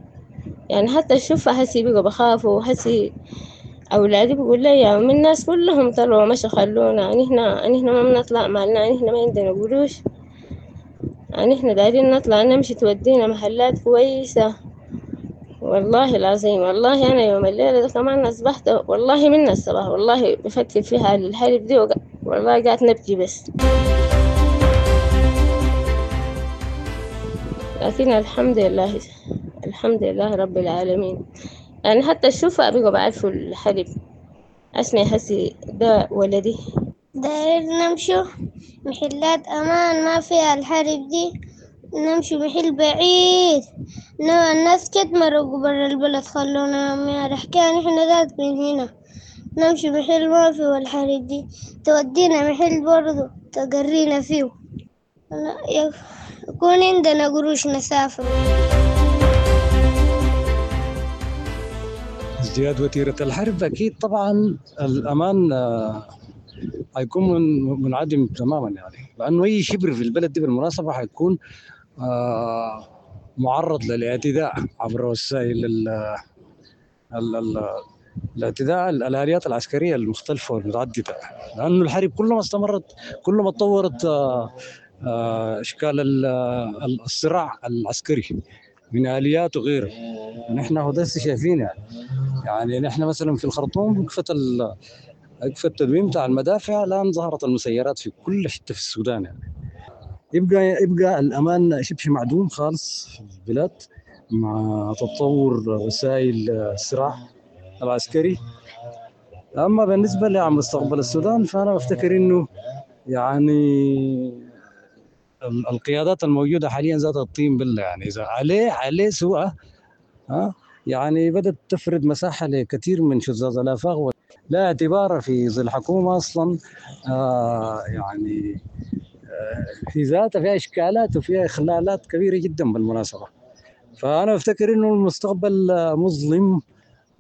يعني حتى الشوفة هسي بقوا بخافوا، هسي أولادي بيقول لي يا من الناس كلهم طلعوا مشوا خلونا، يعني إحنا ما بنطلع مالنا، يعني إحنا ما عندنا قروش. يعني احنا دايرين نطلع نمشي تودينا محلات كويسة. والله العظيم والله أنا يوم الليلة ده كمان أصبحت والله من الصباح والله بفكر في حال الحرب دي والله قاعد نبكي بس. لكن الحمد لله، الحمد لله رب العالمين. يعني حتى الشوفة بقوا بعرفوا الحرب. أسمع حسي ده ولدي. داير نمشوا محلات أمان ما فيها الحرب دي، نمشي محل بعيد. الناس كت مرقوا برا البلد خلونا ما رحكي نحن ذات من هنا. نمشي محل ما فيه الحرب دي، تودينا محل برضو تقرينا فيه، يكون عندنا قروش نسافر. ازدياد وتيرة الحرب أكيد طبعا الأمان حيكون منعدم تماما، يعني لأنه أي شبر في البلد دي بالمناسبة حيكون معرض للاعتداء عبر وسائل الاعتداء الآليات العسكرية المختلفة والمتعددة، لأنه الحرب كلما استمرت كلما تطورت أشكال الصراع العسكري من آليات وغيره. نحن هو ده شايفين يعني نحن مثلا في الخرطوم وقفت التدوين بتاع المدافع، الآن ظهرت المسيرات في كل حتة في السودان. يعني يبقى الأمان شبه معدوم خالص في البلاد مع تطور وسائل الصراع العسكري. أما بالنسبة لمستقبل السودان فأنا بفتكر إنه يعني القيادات الموجودة حاليا ذات الطين بالله، يعني إذا عليه سوء يعني بدأت تفرد مساحة لكثير من شذاذ الآفاق، لا اعتبار في ظل حكومة أصلا يعني في ذاتها فيها إشكالات وفيها إخلالات كبيرة جدا بالمناسبة. فأنا أفتكر إنه المستقبل مظلم،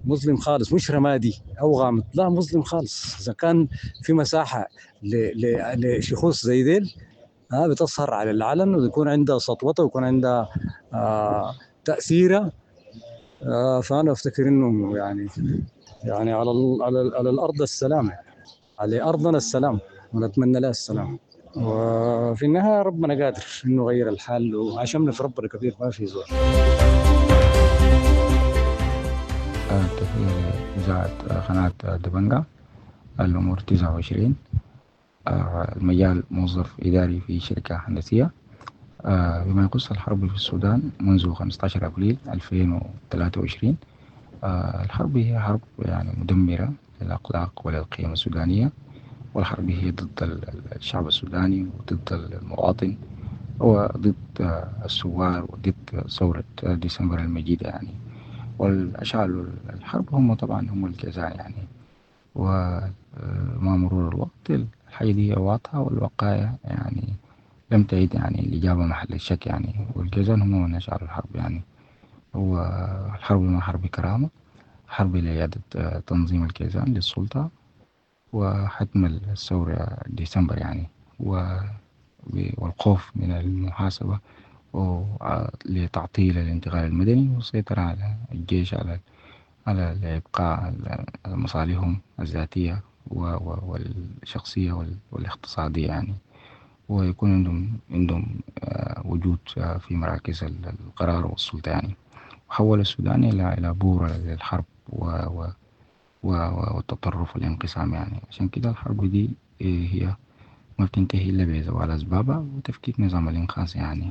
مظلم خالص، مش رمادي أو غامض، لا مظلم خالص. إذا كان في مساحة لشخوص زي ديل بتظهر على العلن ويكون عندها سطوتها ويكون عندها تأثيرها، فأنا أفتكر إنه يعني على الأرض السلام، يعني على أرضنا السلام ونتمنى لها السلام. وفي النهاية ربنا قادر إنه يغير الحال، وعشمنا في ربنا كبير ما في زول. تحية لإذاعة قناة دبنجا، الأمور 29، المجال موظف إداري في شركة هندسية. بما يخص الحرب في السودان منذ 15 أبريل 2023، الحرب هي حرب يعني مدمرة للأخلاق وللقيم السودانية، والحرب هي ضد الشعب السوداني وضد المواطن وضد الثوار وضد ثورة ديسمبر المجيدة يعني. والأشعال الحرب هم طبعا هم الجزاء يعني. ومع مرور الوقت الحاجة دي واضحة، والوقائع يعني لم تعد يعني الإجابة محل الشك يعني. والجزاء هم من أشعلوا الحرب يعني. والحرب ما حرب كرامة، حرب لإعادة تنظيم الكيزان للسلطة وحتم الثورة ديسمبر يعني، والخوف من المحاسبة لتعطيل الانتقال المدني والسيطرة على الجيش على إبقاء مصالحهم الذاتية والشخصية والاقتصادية يعني، ويكون عندهم وجود في مراكز القرار والسلطة يعني. وحول السودان إلى بورة للحرب والتطرف والانقسام يعني. عشان كده الحرب دي هي ما بتنتهي إلا بزوال أسبابها وتفكيك نظام الإنقاذ يعني،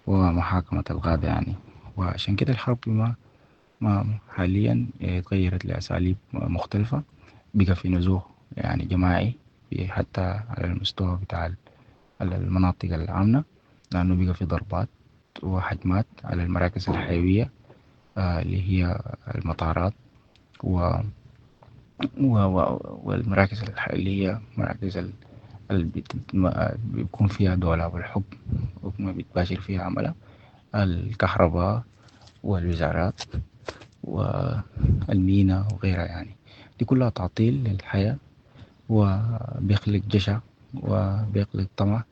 ومحاكمة الغابة يعني. وعشان كده الحرب ما حاليا تغيرت لأساليب مختلفة، بقى في نزوح يعني جماعي حتى على المستوى بتاع المناطق العامة، لأنه بقى في ضربات وهجمات على المراكز الحيوية اللي هي المطارات والمراكز اللي هي مراكز اللي بيكون فيها دولاب الحكم وما بيتباشر فيها عملها، الكهرباء والوزارات والمينا وغيرها يعني. دي كلها تعطيل للحياة، وبيخلق جشع وبيخلق طمع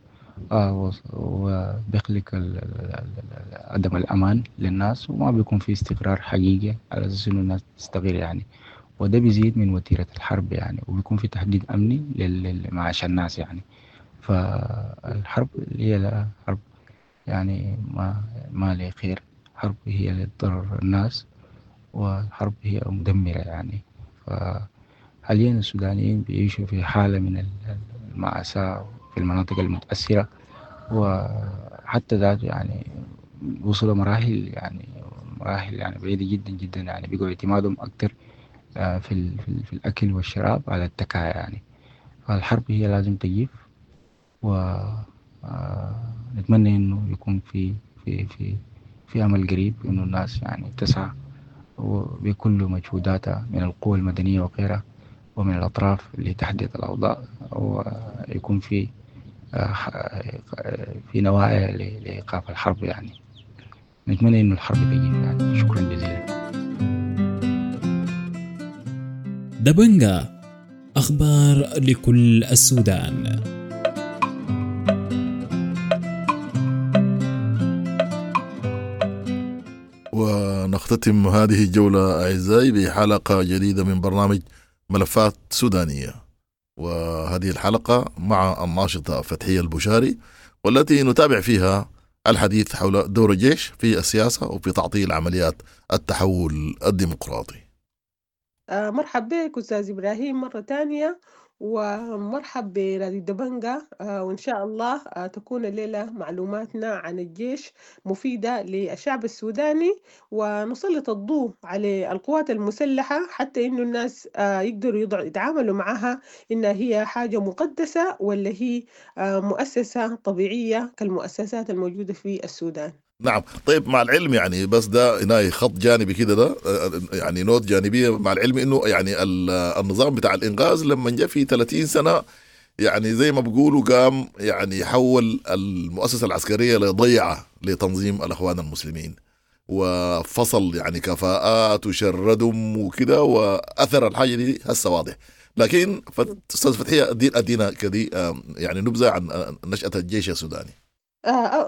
وبيخلق عدم الأمان للناس، وما بيكون في استقرار حقيقي على أساس إنه الناس تستقر يعني. وده بيزيد من وتيرة الحرب يعني، وبيكون في تهديد أمني لمعاش الناس يعني. فالحرب اللي هي حرب يعني ما لي خير. حرب هي للضرر الناس، والحرب هي مدمرة يعني. فحاليا السودانيين بيعيشوا في حالة من المأساة في المناطق المتأثرة، وحتى ذاته يعني وصلوا مراحل يعني مراحل يعني بعيدة جدا جدا، يعني بقوا اعتمادهم أكتر في الأكل والشراب على التكايا يعني. فالحرب هي لازم تجيب، و نتمنى إنه يكون في في في في أمل قريب إنه الناس يعني تسعى بكل مجهوداتها من القوى المدنية وغيرها ومن الأطراف لتحديد الأوضاع، ويكون في نوايا لإيقاف الحرب يعني. نتمنى إنه الحرب تجيب يعني. شكرا جزيلا. دبنجا، أخبار لكل السودان. ونختتم هذه الجولة أعزائي بحلقة جديدة من برنامج ملفات سودانية، وهذه الحلقة مع الناشطة فتحية البشاري، والتي نتابع فيها الحديث حول دور الجيش في السياسة وفي تعطيل عمليات التحول الديمقراطي. مرحب بك أستاذ إبراهيم مرة تانية، ومرحب براديو دبنجا. وإن شاء الله تكون الليلة معلوماتنا عن الجيش مفيدة للشعب السوداني، ونسلط الضوء على القوات المسلحة حتى إنه الناس يقدروا يتعاملوا معها إنها هي حاجة مقدسة ولا هي مؤسسة طبيعية كالمؤسسات الموجودة في السودان. نعم. طيب، مع العلم يعني، بس ده هنا خط جانبي كده، ده يعني نوت جانبية، مع العلم انه يعني النظام بتاع الانقاذ لما جاء في 30 سنة يعني زي ما بيقولوا قام يعني حول المؤسسة العسكرية لضيعة لتنظيم الأخوان المسلمين، وفصل يعني كفاءات وشردهم وكده، وأثر الحاجة دي هسه واضح. لكن أستاذ فتحية أدينا كدي يعني نبذة عن نشأة الجيش السوداني.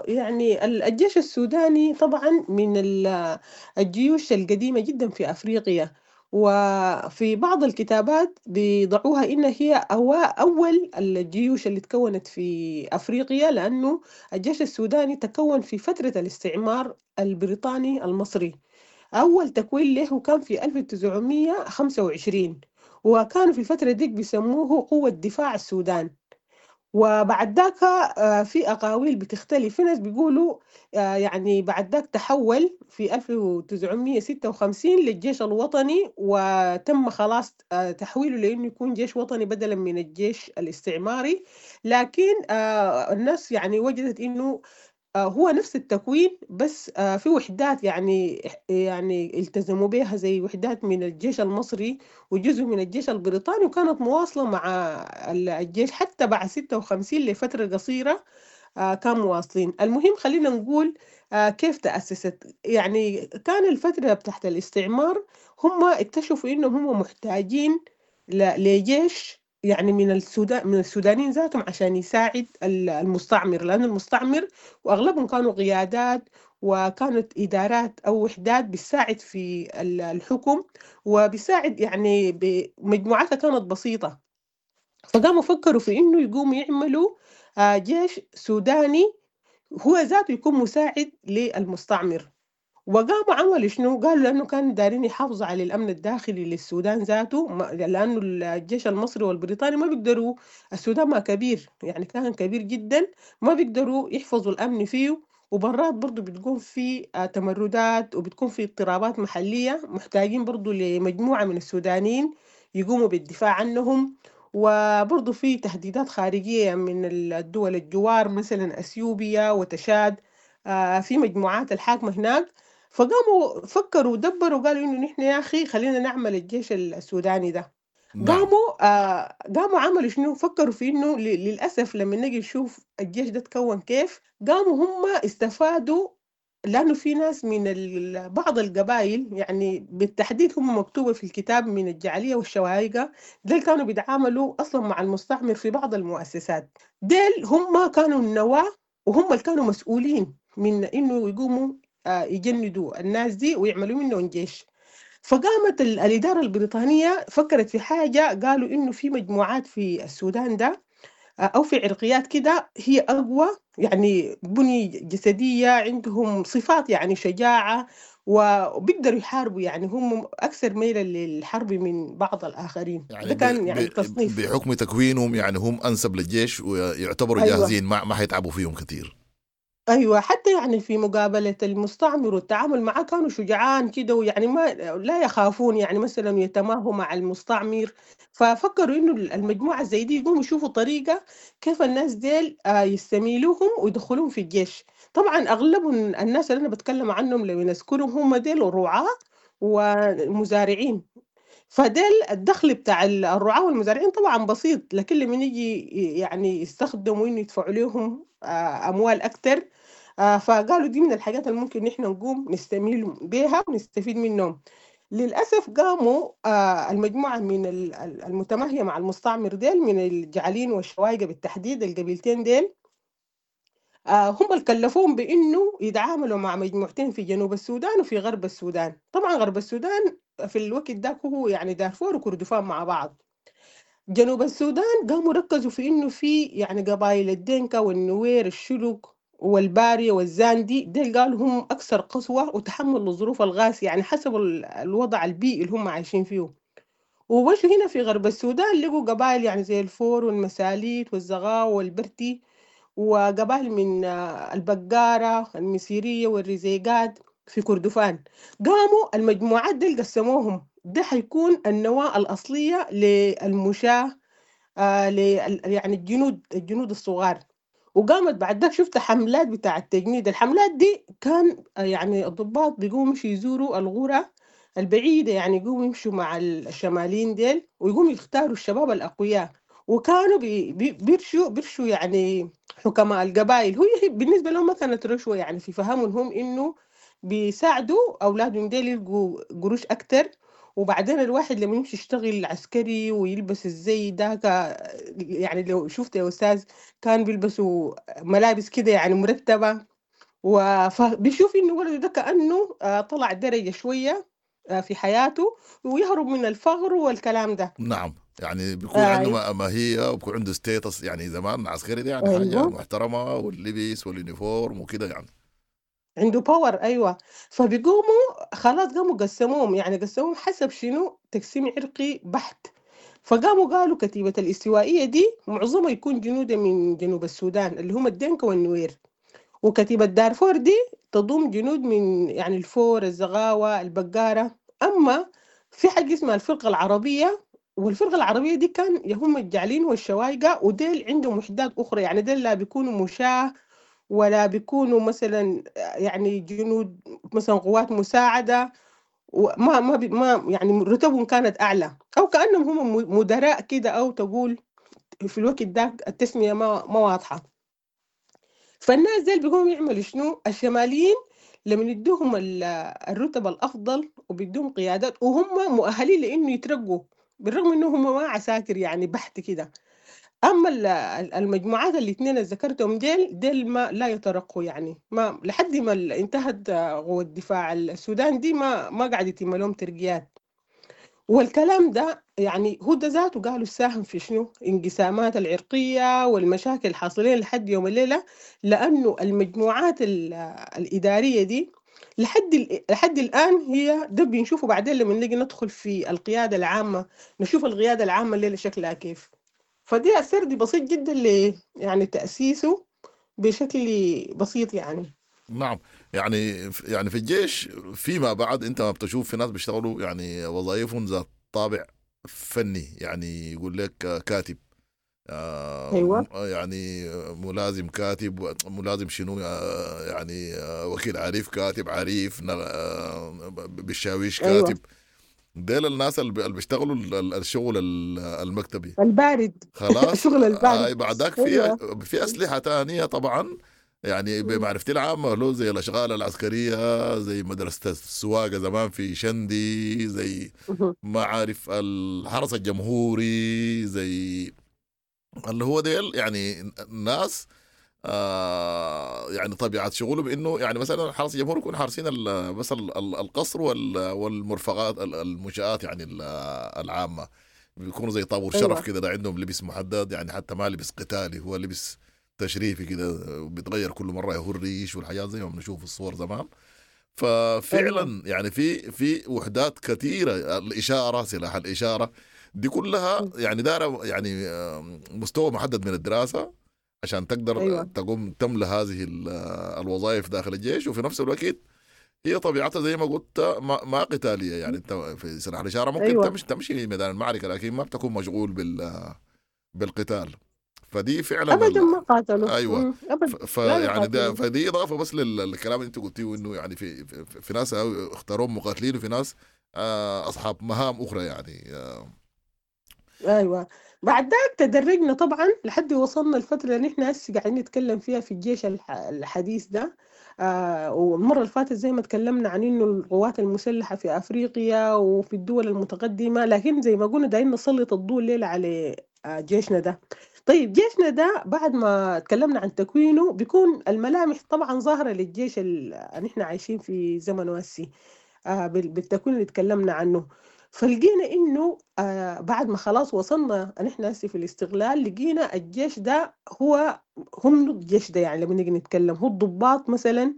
يعني الجيش السوداني طبعا من الجيوش القديمة جدا في أفريقيا، وفي بعض الكتابات بيضعوها إن هي أول الجيوش اللي تكونت في أفريقيا، لأنه الجيش السوداني تكون في فترة الاستعمار البريطاني المصري. أول تكوين له كان في 1925، وكانوا في الفترة دي بيسموه قوة دفاع السودان. وبعد ذاك في أقاويل بتختلف، في ناس بيقولوا يعني بعد ذاك تحول في 1956 للجيش الوطني، وتم خلاص تحويله لأنه يكون جيش وطني بدلا من الجيش الاستعماري. لكن الناس يعني وجدت إنه هو نفس التكوين، بس في وحدات يعني التزموا بها، زي وحدات من الجيش المصري وجزء من الجيش البريطاني، وكانت مواصلة مع الجيش حتى بعد 56 لفترة قصيرة كانوا مواصلين. المهم خلينا نقول كيف تأسست. يعني كان الفترة تحت الاستعمار هم اكتشفوا إنهم هم محتاجين لجيش يعني من السودان، من السودانيين ذاتهم عشان يساعد المستعمر، لأن المستعمر وأغلبهم كانوا قيادات وكانت إدارات أو وحدات بتساعد في الحكم وبيساعد يعني بمجموعاتها كانت بسيطة. فقاموا فكروا في إنه يقوموا يعملوا جيش سوداني هو ذاته يكون مساعد للمستعمر. وقاموا عملوا شنو؟ قالوا لأنه كانوا دارين يحافظوا على الأمن الداخلي للسودان ذاته، لأنه الجيش المصري والبريطاني ما بيقدروا، السودان ما كبير يعني كان كبير جدا، ما بيقدروا يحفظوا الأمن فيه، وبرات برضو بتكون في تمردات وبتكون في اضطرابات محلية، محتاجين برضو لمجموعة من السودانيين يقوموا بالدفاع عنهم. وبرضو في تهديدات خارجية من الدول الجوار، مثلا أثيوبيا وتشاد، في مجموعات الحاكمة هناك. فقاموا فكروا ودبروا وقالوا إنه نحن يا أخي خلينا نعمل الجيش السوداني ده. نعم. قاموا عملوا شنو؟ فكروا في إنه للأسف لما نجي نشوف الجيش ده تكون كيف، قاموا هم استفادوا، لأنه في ناس من بعض القبائل يعني بالتحديد هم مكتوبة في الكتاب من الجعلية والشوايقة، ديل كانوا بيتعاملوا أصلا مع المستعمر في بعض المؤسسات، ديل هم كانوا النواة وهم اللي كانوا مسؤولين من إنه يقوموا يجندوا الناس دي ويعملوا منهم جيش. فقامت الإدارة البريطانية فكرت في حاجة، قالوا إنه في مجموعات في السودان ده أو في عرقيات كده هي أقوى، يعني بني جسدية، عندهم صفات يعني شجاعة وبيقدروا يحاربوا، يعني هم أكثر ميلا للحرب من بعض الآخرين. يعني ده كان يعني تصنيف بحكم تكوينهم، يعني هم أنسب للجيش ويعتبروا أيوة. جاهزين، ما حيتعبوا فيهم كثير. أيوة، حتى يعني في مقابلة المستعمر والتعامل معه كانوا شجعان كده، ويعني ما لا يخافون، يعني مثلا يتماهوا مع المستعمر. ففكروا إنه المجموعة زي دي يقوموا يشوفوا طريقة كيف الناس ديل يستميلوهم ويدخلوهم في الجيش. طبعا أغلب الناس اللي أنا بتكلم عنهم لو نذكرهم هم ديل رعاة ومزارعين، فديل الدخل بتاع الرعاة والمزارعين طبعا بسيط، لكن لما يجي يعني يستخدموا إنه يدفعوا لهم أموال أكتر، فقالوا دي من الحاجات اللي ممكن نحن نقوم نستميل بيها ونستفيد منهم. للأسف قاموا المجموعة من المتماهية مع المستعمر ديل من الجعلين والشوايقة بالتحديد، القبيلتين ديل، هم اللي كلفوهم بإنه يتعاملوا مع مجموعتين في جنوب السودان وفي غرب السودان. طبعا غرب السودان في الوقت ده هو يعني دارفور وكردفان مع بعض. جنوب السودان قاموا ركزوا في إنه في يعني قبائل الدينكا والنوير الشلوك والبارية والزاندي، ديل قالوا هم أكثر قسوة وتحمل للظروف القاسية، يعني حسب الوضع البيئي اللي هم عايشين فيه. ومشوا هنا في غرب السودان لقوا قبائل يعني زي الفور والمساليت والزغاوة والبرتي، وقبائل من البقارة المسيرية والرزيقات في كردفان. قاموا المجموعات دي قسموهم، ده حيكون النواة الأصلية للمشاة، يعني الجنود الصغار. وقامت بعد ذاك شفت حملات بتاع التجنيد. الحملات دي كان يعني الضباط بيقوموا يمشوا يزوروا الغرة البعيدة، يعني يقوموا يمشوا مع الشماليين ديل ويقوموا يختاروا الشباب الأقوياء، وكانوا بيرشوا يعني حكماء القبائل. هي بالنسبة لهم ما كانت رشوة، يعني في فهمهم هم إنه بيساعدوا أولادهم ديل يلقوا قروش أكتر. وبعدين الواحد لما يمشي يشتغل عسكري ويلبس الزي ده يعني لو شفت يا أستاذ كان بيلبسوا ملابس كده يعني مرتبة، فبيشوف إنه ولده ده كأنه طلع درجة شوية في حياته ويهرب من الفقر والكلام ده. نعم، يعني بيكون عنده ماهية وبيكون عنده status، يعني زمان عسكري ده يعني حاجة محترمة، واللبس وال uniform وكده، يعني عنده power. أيوة، فبيقوموا خلاص قاموا قسموهم، يعني قسموهم حسب شنو؟ تقسيم عرقي بحت. فقاموا قالوا كتيبة الاستوائية دي معظمها يكون جنودا من جنوب السودان اللي هم الدينكا والنوير، وكتيبة دارفور دي تضم جنود من يعني الفور الزغاوة البقارة. أما في حاجة اسمها الفرقة العربية، والفرقة العربية دي كان هم الجعلين والشوايقة، وديل عندهم وحدات أخرى، يعني ديل لا بيكونوا مشاة ولا بيكونوا مثلا يعني جنود مثلا قوات مساعدة، وما ما ما يعني رتبهم كانت أعلى، أو كأنهم هم مدراء كده، أو تقول في الوقت ده التسمية ما واضحة. فالناس ديل بيقوموا يعملوا شنو؟ الشماليين لما يدوهم الرتب الأفضل وبيدوهم قيادات، وهم مؤهلين لإنه يترقوا بالرغم إنه هم ما عساكر يعني بحت كده. أما المجموعات الاثنين اللي ذكرتهم ديل ما لا يترقوا، يعني ما لحد ما انتهت قوة دفاع السودان دي ما قاعد يتم لهم ترقيات. والكلام ده يعني هو ده ذاته قالوا ساهم في شنو؟ انقسامات العرقية والمشاكل الحاصلين لحد يوم الليلة، لأنه المجموعات الإدارية دي لحد الآن هي ده بنشوفه بعدين لما نيجي ندخل في القيادة العامة، نشوف القيادة العامة الليلة شكلها كيف. فدي السرد بسيط جدا ل يعني تأسيسه بشكل بسيط يعني. نعم، يعني في الجيش فيما بعد انت ما بتشوف في ناس بيشتغلوا يعني وظائفهم ذات طابع فني، يعني يقول لك كاتب، أيوة. يعني ملازم كاتب، ملازم شنو يعني وكيل عريف، كاتب عريف، بالشاويش كاتب. أيوة. ديل الناس اللي بيشتغلوا الشغل المكتبي البارد خلاص الشغل البارد. بعدك في أسلحة تانية طبعا، يعني بمعرفتي العامة له زي الأشغال العسكرية، زي مدرسة السواقة زمان في شندي، زي ما عارف الحرس الجمهوري، زي اللي هو ديل يعني الناس يعني طبيعة شغله بأنه يعني مثلا الحرس الجمهوري يكون حارسين بس القصر والمرفقات المنشآت يعني العامة. بيكونوا زي طابور شرف كده، ده عندهم لبس محدد، يعني حتى ما لبس قتالي، هو لبس تشريفي كده بيتغير كل مرة، يهو الريش والحاجات زي ما بنشوف في الصور زمان. ففعلا يعني في وحدات كثيرة، الاشارة، سلاح الاشارة، دي كلها يعني دار يعني مستوى محدد من الدراسة عشان تقدر تقوم تملى هذه الوظائف داخل الجيش. وفي نفس الوقت هي طبيعتها زي ما قلت ما قتالية، يعني انت في سلاح الاشارة ممكن تمشي ميدان المعركة، لكن ما بتكون مشغول بالقتال. فدي فعلا ابدا ما قاتلوا. ايوه فيعني ده فدي اضافه بس للكلام اللي انت قلتيه، انه يعني في ناس اختاروهم مقاتلين، وفي ناس اصحاب مهام اخرى يعني. ايوه، بعد ذاك تدرجنا طبعا لحد وصلنا الفترة اللي احنا هسه قاعدين نتكلم فيها في الجيش الحديث ده. والمرة اللي فاتت زي ما تكلمنا عن انه القوات المسلحة في افريقيا وفي الدول المتقدمة، لكن زي ما قلنا دايرين نسلط الضوء الليلة على جيشنا ده. طيب جيشنا ده بعد ما تكلمنا عن تكوينه بيكون الملامح طبعا ظاهره للجيش اللي نحن عايشين في زمن واسي بالتكوين اللي تكلمنا عنه. فلقينا انه بعد ما خلاص وصلنا نحن هسه في الاستقلال، لقينا الجيش ده هو هم الجيش ده، يعني لما نيجي نتكلم هو الضباط مثلا،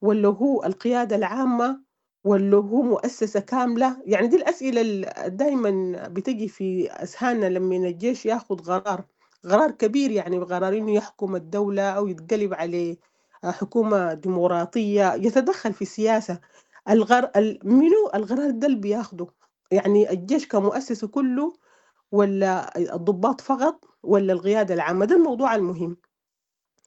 ولا هو القيادة العامة، ولا هو مؤسسة كاملة؟ يعني دي الأسئلة اللي دايما بتجي في أذهاننا لما الجيش ياخد قرار كبير، يعني قرار إنه يحكم الدولة أو يتقلب عليه حكومة ديمقراطية، يتدخل في السياسة. منو القرار ده اللي بياخده؟ يعني الجيش كمؤسسة كله، ولا الضباط فقط، ولا القيادة العامة؟ ده الموضوع المهم.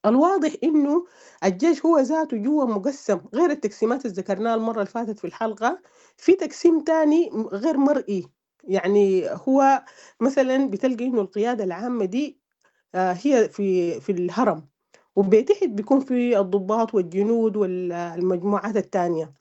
الواضح إنه الجيش هو ذاته جوا مقسم، غير التقسيمات اللي ذكرناها المرة اللي فاتت في الحلقة، في تقسيم تاني غير مرئي. يعني هو مثلا بتلقى إنه القيادة العامة دي هي في الهرم، وبتحت بيكون في الضباط والجنود والمجموعات التانية.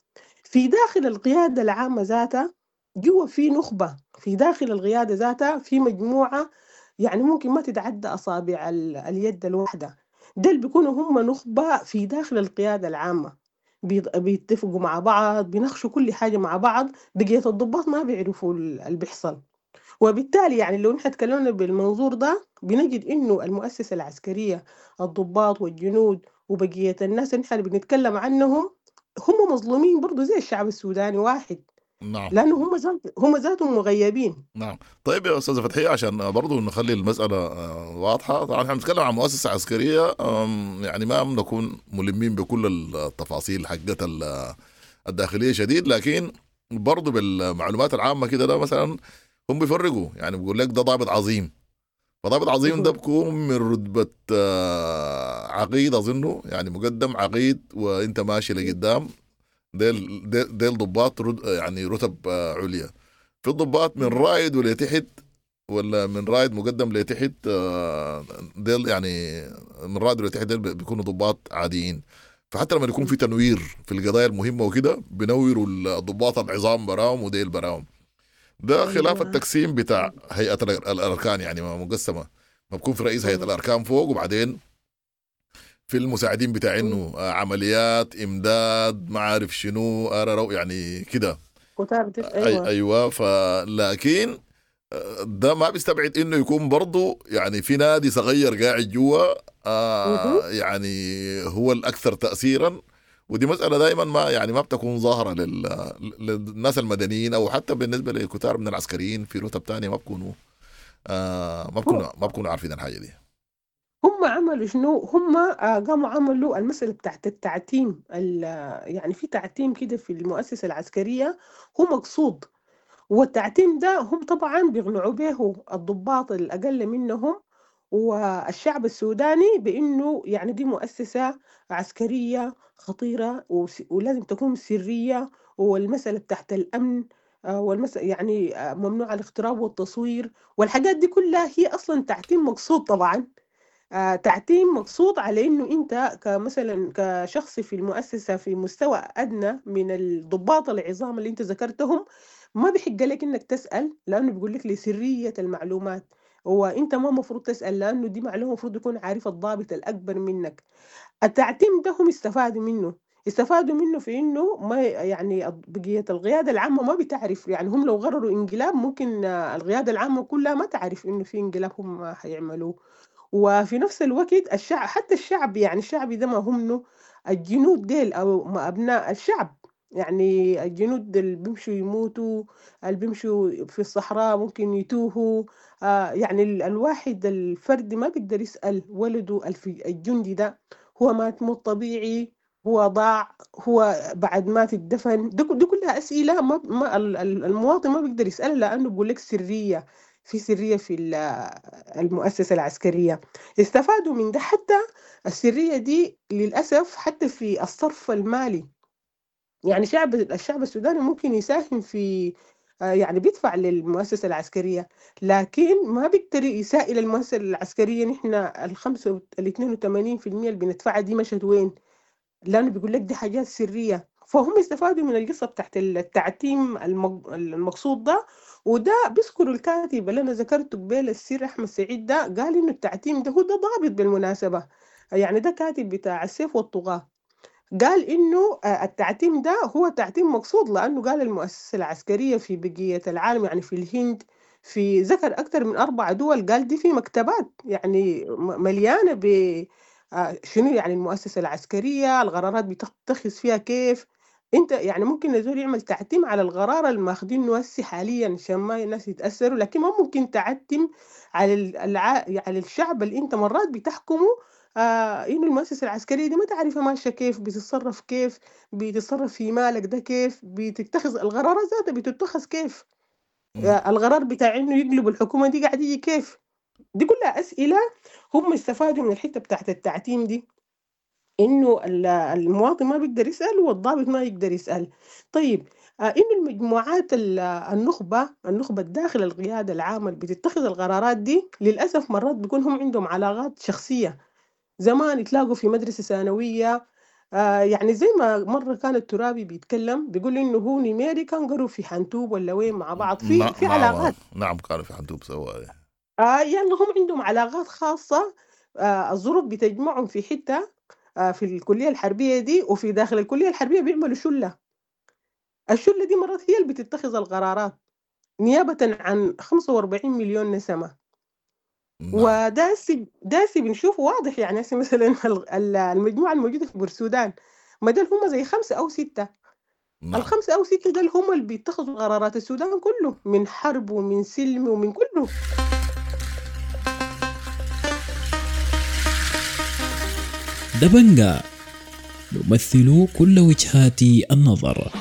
في داخل القيادة العامة ذاتها جوا في نخبة، في داخل القيادة ذاتها في مجموعة يعني ممكن ما تتعدى أصابع اليد الواحدة، دول بيكونوا هم نخبة في داخل القيادة العامة، بيتفقوا مع بعض، بيناقشوا كل حاجة مع بعض، بقية الضباط ما بيعرفوا اللي بيحصل. وبالتالي يعني لو نحن تكلمنا بالمنظور ده بنجد إنه المؤسسة العسكرية، الضباط والجنود وبقية الناس اللي نحن بنتكلم عنهم، هم مظلومين برضو زي الشعب السوداني واحد. نعم، لأنه هم ذاتهم مغيبين. نعم. طيب يا أستاذة فتحية، عشان برضو نخلي المسألة واضحة، طبعا احنا بنتكلم عن مؤسسة عسكرية، يعني ما بنكون ملمين بكل التفاصيل حقت الداخلية شديد، لكن برضو بالمعلومات العامة كده، ده مثلا هم بيفرقوا، يعني بيقول لك ده ضابط عظيم، فضابط عظيم ده بيكون من رتبة عقيد أظنه، يعني مقدم عقيد وانت ماشي لقدام، ديل ضباط يعني رتب عليا. في الضباط من رائد ولتحت، ولا من رائد مقدم لتحت، ديل يعني من رائد ولتحت ديل بيكونوا ضباط عاديين. فحتى لما يكون في تنوير في القضايا المهمة وكده بنوروا الضباط العظام براهم وديل براهم. ده خلاف التقسيم بتاع هيئة الأركان، يعني ما مقسمة، ما بكون في رئيس هيئة الأركان فوق وبعدين في المساعدين بتاع انه عمليات امداد ما عارف شنو يعني كده. ايوه. فلكن ده ما بيستبعد انه يكون برضه يعني في نادي صغير قاعد جوا يعني هو الاكثر تاثيرا، ودي مسالة دائما ما يعني ما بتكون ظاهره للناس المدنيين او حتى بالنسبة لكتار من العسكريين في رتب ثانية ما بكونوا عارفين الحاجة دي. هم عملوا شنو؟ هم قاموا عملوا المسألة بتاعت التعتيم، يعني في تعتيم كده في المؤسسة العسكرية هو مقصود، والتعتيم ده هم طبعا بيقنعوا به الضباط الأقل منهم والشعب السوداني بأنه يعني دي مؤسسة عسكرية خطيرة ولازم تكون سرية، والمسألة بتاعت الأمن والمسألة يعني ممنوع الاقتراب والتصوير والحاجات دي كلها هي أصلا تعتيم مقصود طبعا. تعتيم مقصود على إنه أنت كمثلا كشخص في المؤسسة في مستوى أدنى من الضباط العظام اللي أنت ذكرتهم ما بيحق لك إنك تسأل، لأنه بيقول لك لسرية المعلومات، وأنت ما مفروض تسأل لأنه دي معلومة مفروض يكون عارف الضابط الأكبر منك. التعتيم ده هم استفادوا منه، استفادوا منه في إنه ما يعني بقية القيادة العامة ما بتعرف، يعني هم لو قرروا انقلاب ممكن القيادة العامة كلها ما تعرف إنه في انقلاب هم حيعملوه. وفي نفس الوقت الشعب، حتى الشعب يعني الشعب ده ما هم منه الجنود ديل أو ما أبناء الشعب، يعني الجنود اللي بيمشوا يموتوا، اللي بيمشوا في الصحراء ممكن يتوهوا، يعني الواحد الفرد ما بيقدر يسأل ولده الجندي ده هو مات موت طبيعي، هو ضاع، هو بعد ما تدفن. دي كلها أسئلة ما المواطن ما بيقدر يسألها، لأنه بيقول لك سرية، في سرية في المؤسسة العسكرية. استفادوا من ده حتى السرية دي للأسف حتى في الصرف المالي، يعني الشعب السوداني ممكن يساهم في يعني بيدفع للمؤسسة العسكرية، لكن ما بيقدر يسائل المؤسسة العسكرية نحن الخمسة الاثنين وثمانين في المية اللي بندفعها دي مشت وين، لأنه بيقول لك دي حاجات سرية. فهم استفادوا من القصة بتاعت التعتيم المقصود ده. وده بيذكروا الكاتب اللي أنا ذكرته قبل السير أحمد سعيد ده، قال إنه التعتيم ده هو ده ضابط بالمناسبة، يعني ده كاتب بتاع السيف والطغاة، قال إنه التعتيم ده هو تعتيم مقصود، لأنه قال المؤسسة العسكرية في بقية العالم، يعني في الهند، في ذكر أكثر من 4 دول، قال دي في مكتبات يعني مليانة ب شنو يعني المؤسسة العسكرية، القرارات بتتخذ فيها كيف. انت يعني ممكن الزول يعمل تعتيم على القرار اللي ماخدينه هسه حاليا عشان ما الناس يتأثروا، لكن ما ممكن تعتم على على الشعب اللي انت مرات بتحكمه، انه المؤسسة العسكرية دي ما تعرفها ماشية كيف، بتتصرف كيف، بتتصرف في مالك ده كيف، بتتخذ القرارات ذاتها بتتخذ كيف، القرار بتاع انه يقلبوا الحكومة دي قاعد يجي كيف. دي كلها أسئلة هم استفادوا من الحتة بتاعت التعتيم دي، إنه المواطن ما بيقدر يسأل والضابط ما يقدر يسأل. طيب إنه المجموعات النخبة الداخل القيادة العامة اللي بتتخذ القرارات دي للأسف مرات بيكون هم عندهم علاقات شخصية، زمان يتلاقوا في مدرسة ثانوية، يعني زي ما مرة كان الترابي بيتكلم بيقول إنه هو نيميري كان قروا في حنتوب ولا وين مع بعض، في علاقات. نعم كانوا في حنتوب سوا. يعني هم عندهم علاقات خاصة، الظروف بتجمعهم في حتة، في الكلية الحربية دي، وفي داخل الكلية الحربية بيعملوا شلة. الشلة دي مرات هي اللي بتتخذ القرارات نيابة عن 45 مليون نسمة. وداسي بنشوفه واضح، يعني مثلا المجموعة الموجودة في بورسودان ما دول هم زي 5 أو 6. ال5 أو 6 دول هم اللي بيتخذوا قرارات السودان كله، من حرب ومن سلم ومن كله. دبنجا نمثل كل وجهات النظر.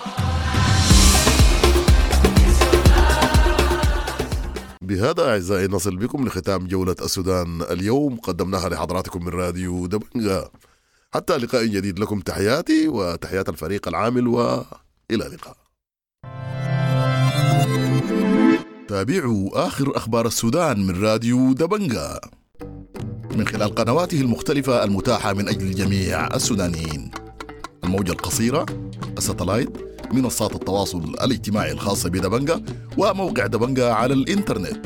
بهذا أعزائي نصل بكم لختام جولة السودان اليوم، قدمناها لحضراتكم من راديو دبنجا. حتى لقاء جديد، لكم تحياتي وتحيات الفريق العامل، وإلى اللقاء. تابعوا آخر أخبار السودان من راديو دبنجا من خلال قنواته المختلفة المتاحة من أجل جميع السودانيين، الموجة القصيرة، الستلايت، منصات التواصل الاجتماعي الخاصة بدبنجا، وموقع دبنجا على الإنترنت.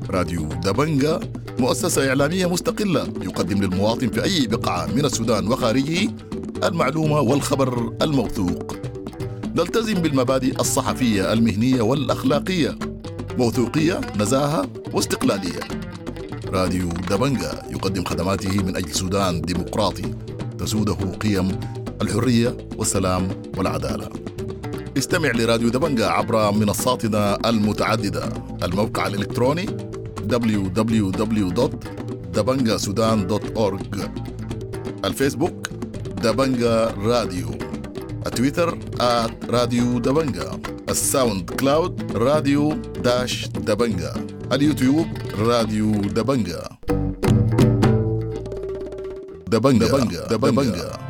راديو دبنجا مؤسسة إعلامية مستقلة يقدم للمواطن في أي بقعة من السودان وخارجه المعلومة والخبر الموثوق. نلتزم بالمبادئ الصحفية المهنية والأخلاقية، موثوقية، نزاهة، واستقلالية. راديو دبنجا يقدم خدماته من أجل سودان ديمقراطي تسوده قيم الحرية والسلام والعدالة. استمع لراديو دبنجا عبر منصاتنا المتعددة: الموقع الإلكتروني www.dabangasudan.org، الفيسبوك دبنجا راديو، التويتر @راديو دبنجا، الساوند كلاود راديو dash دبنجا، اليوتيوب راديو دبنجا. دبنجا دبنجا دبنجا.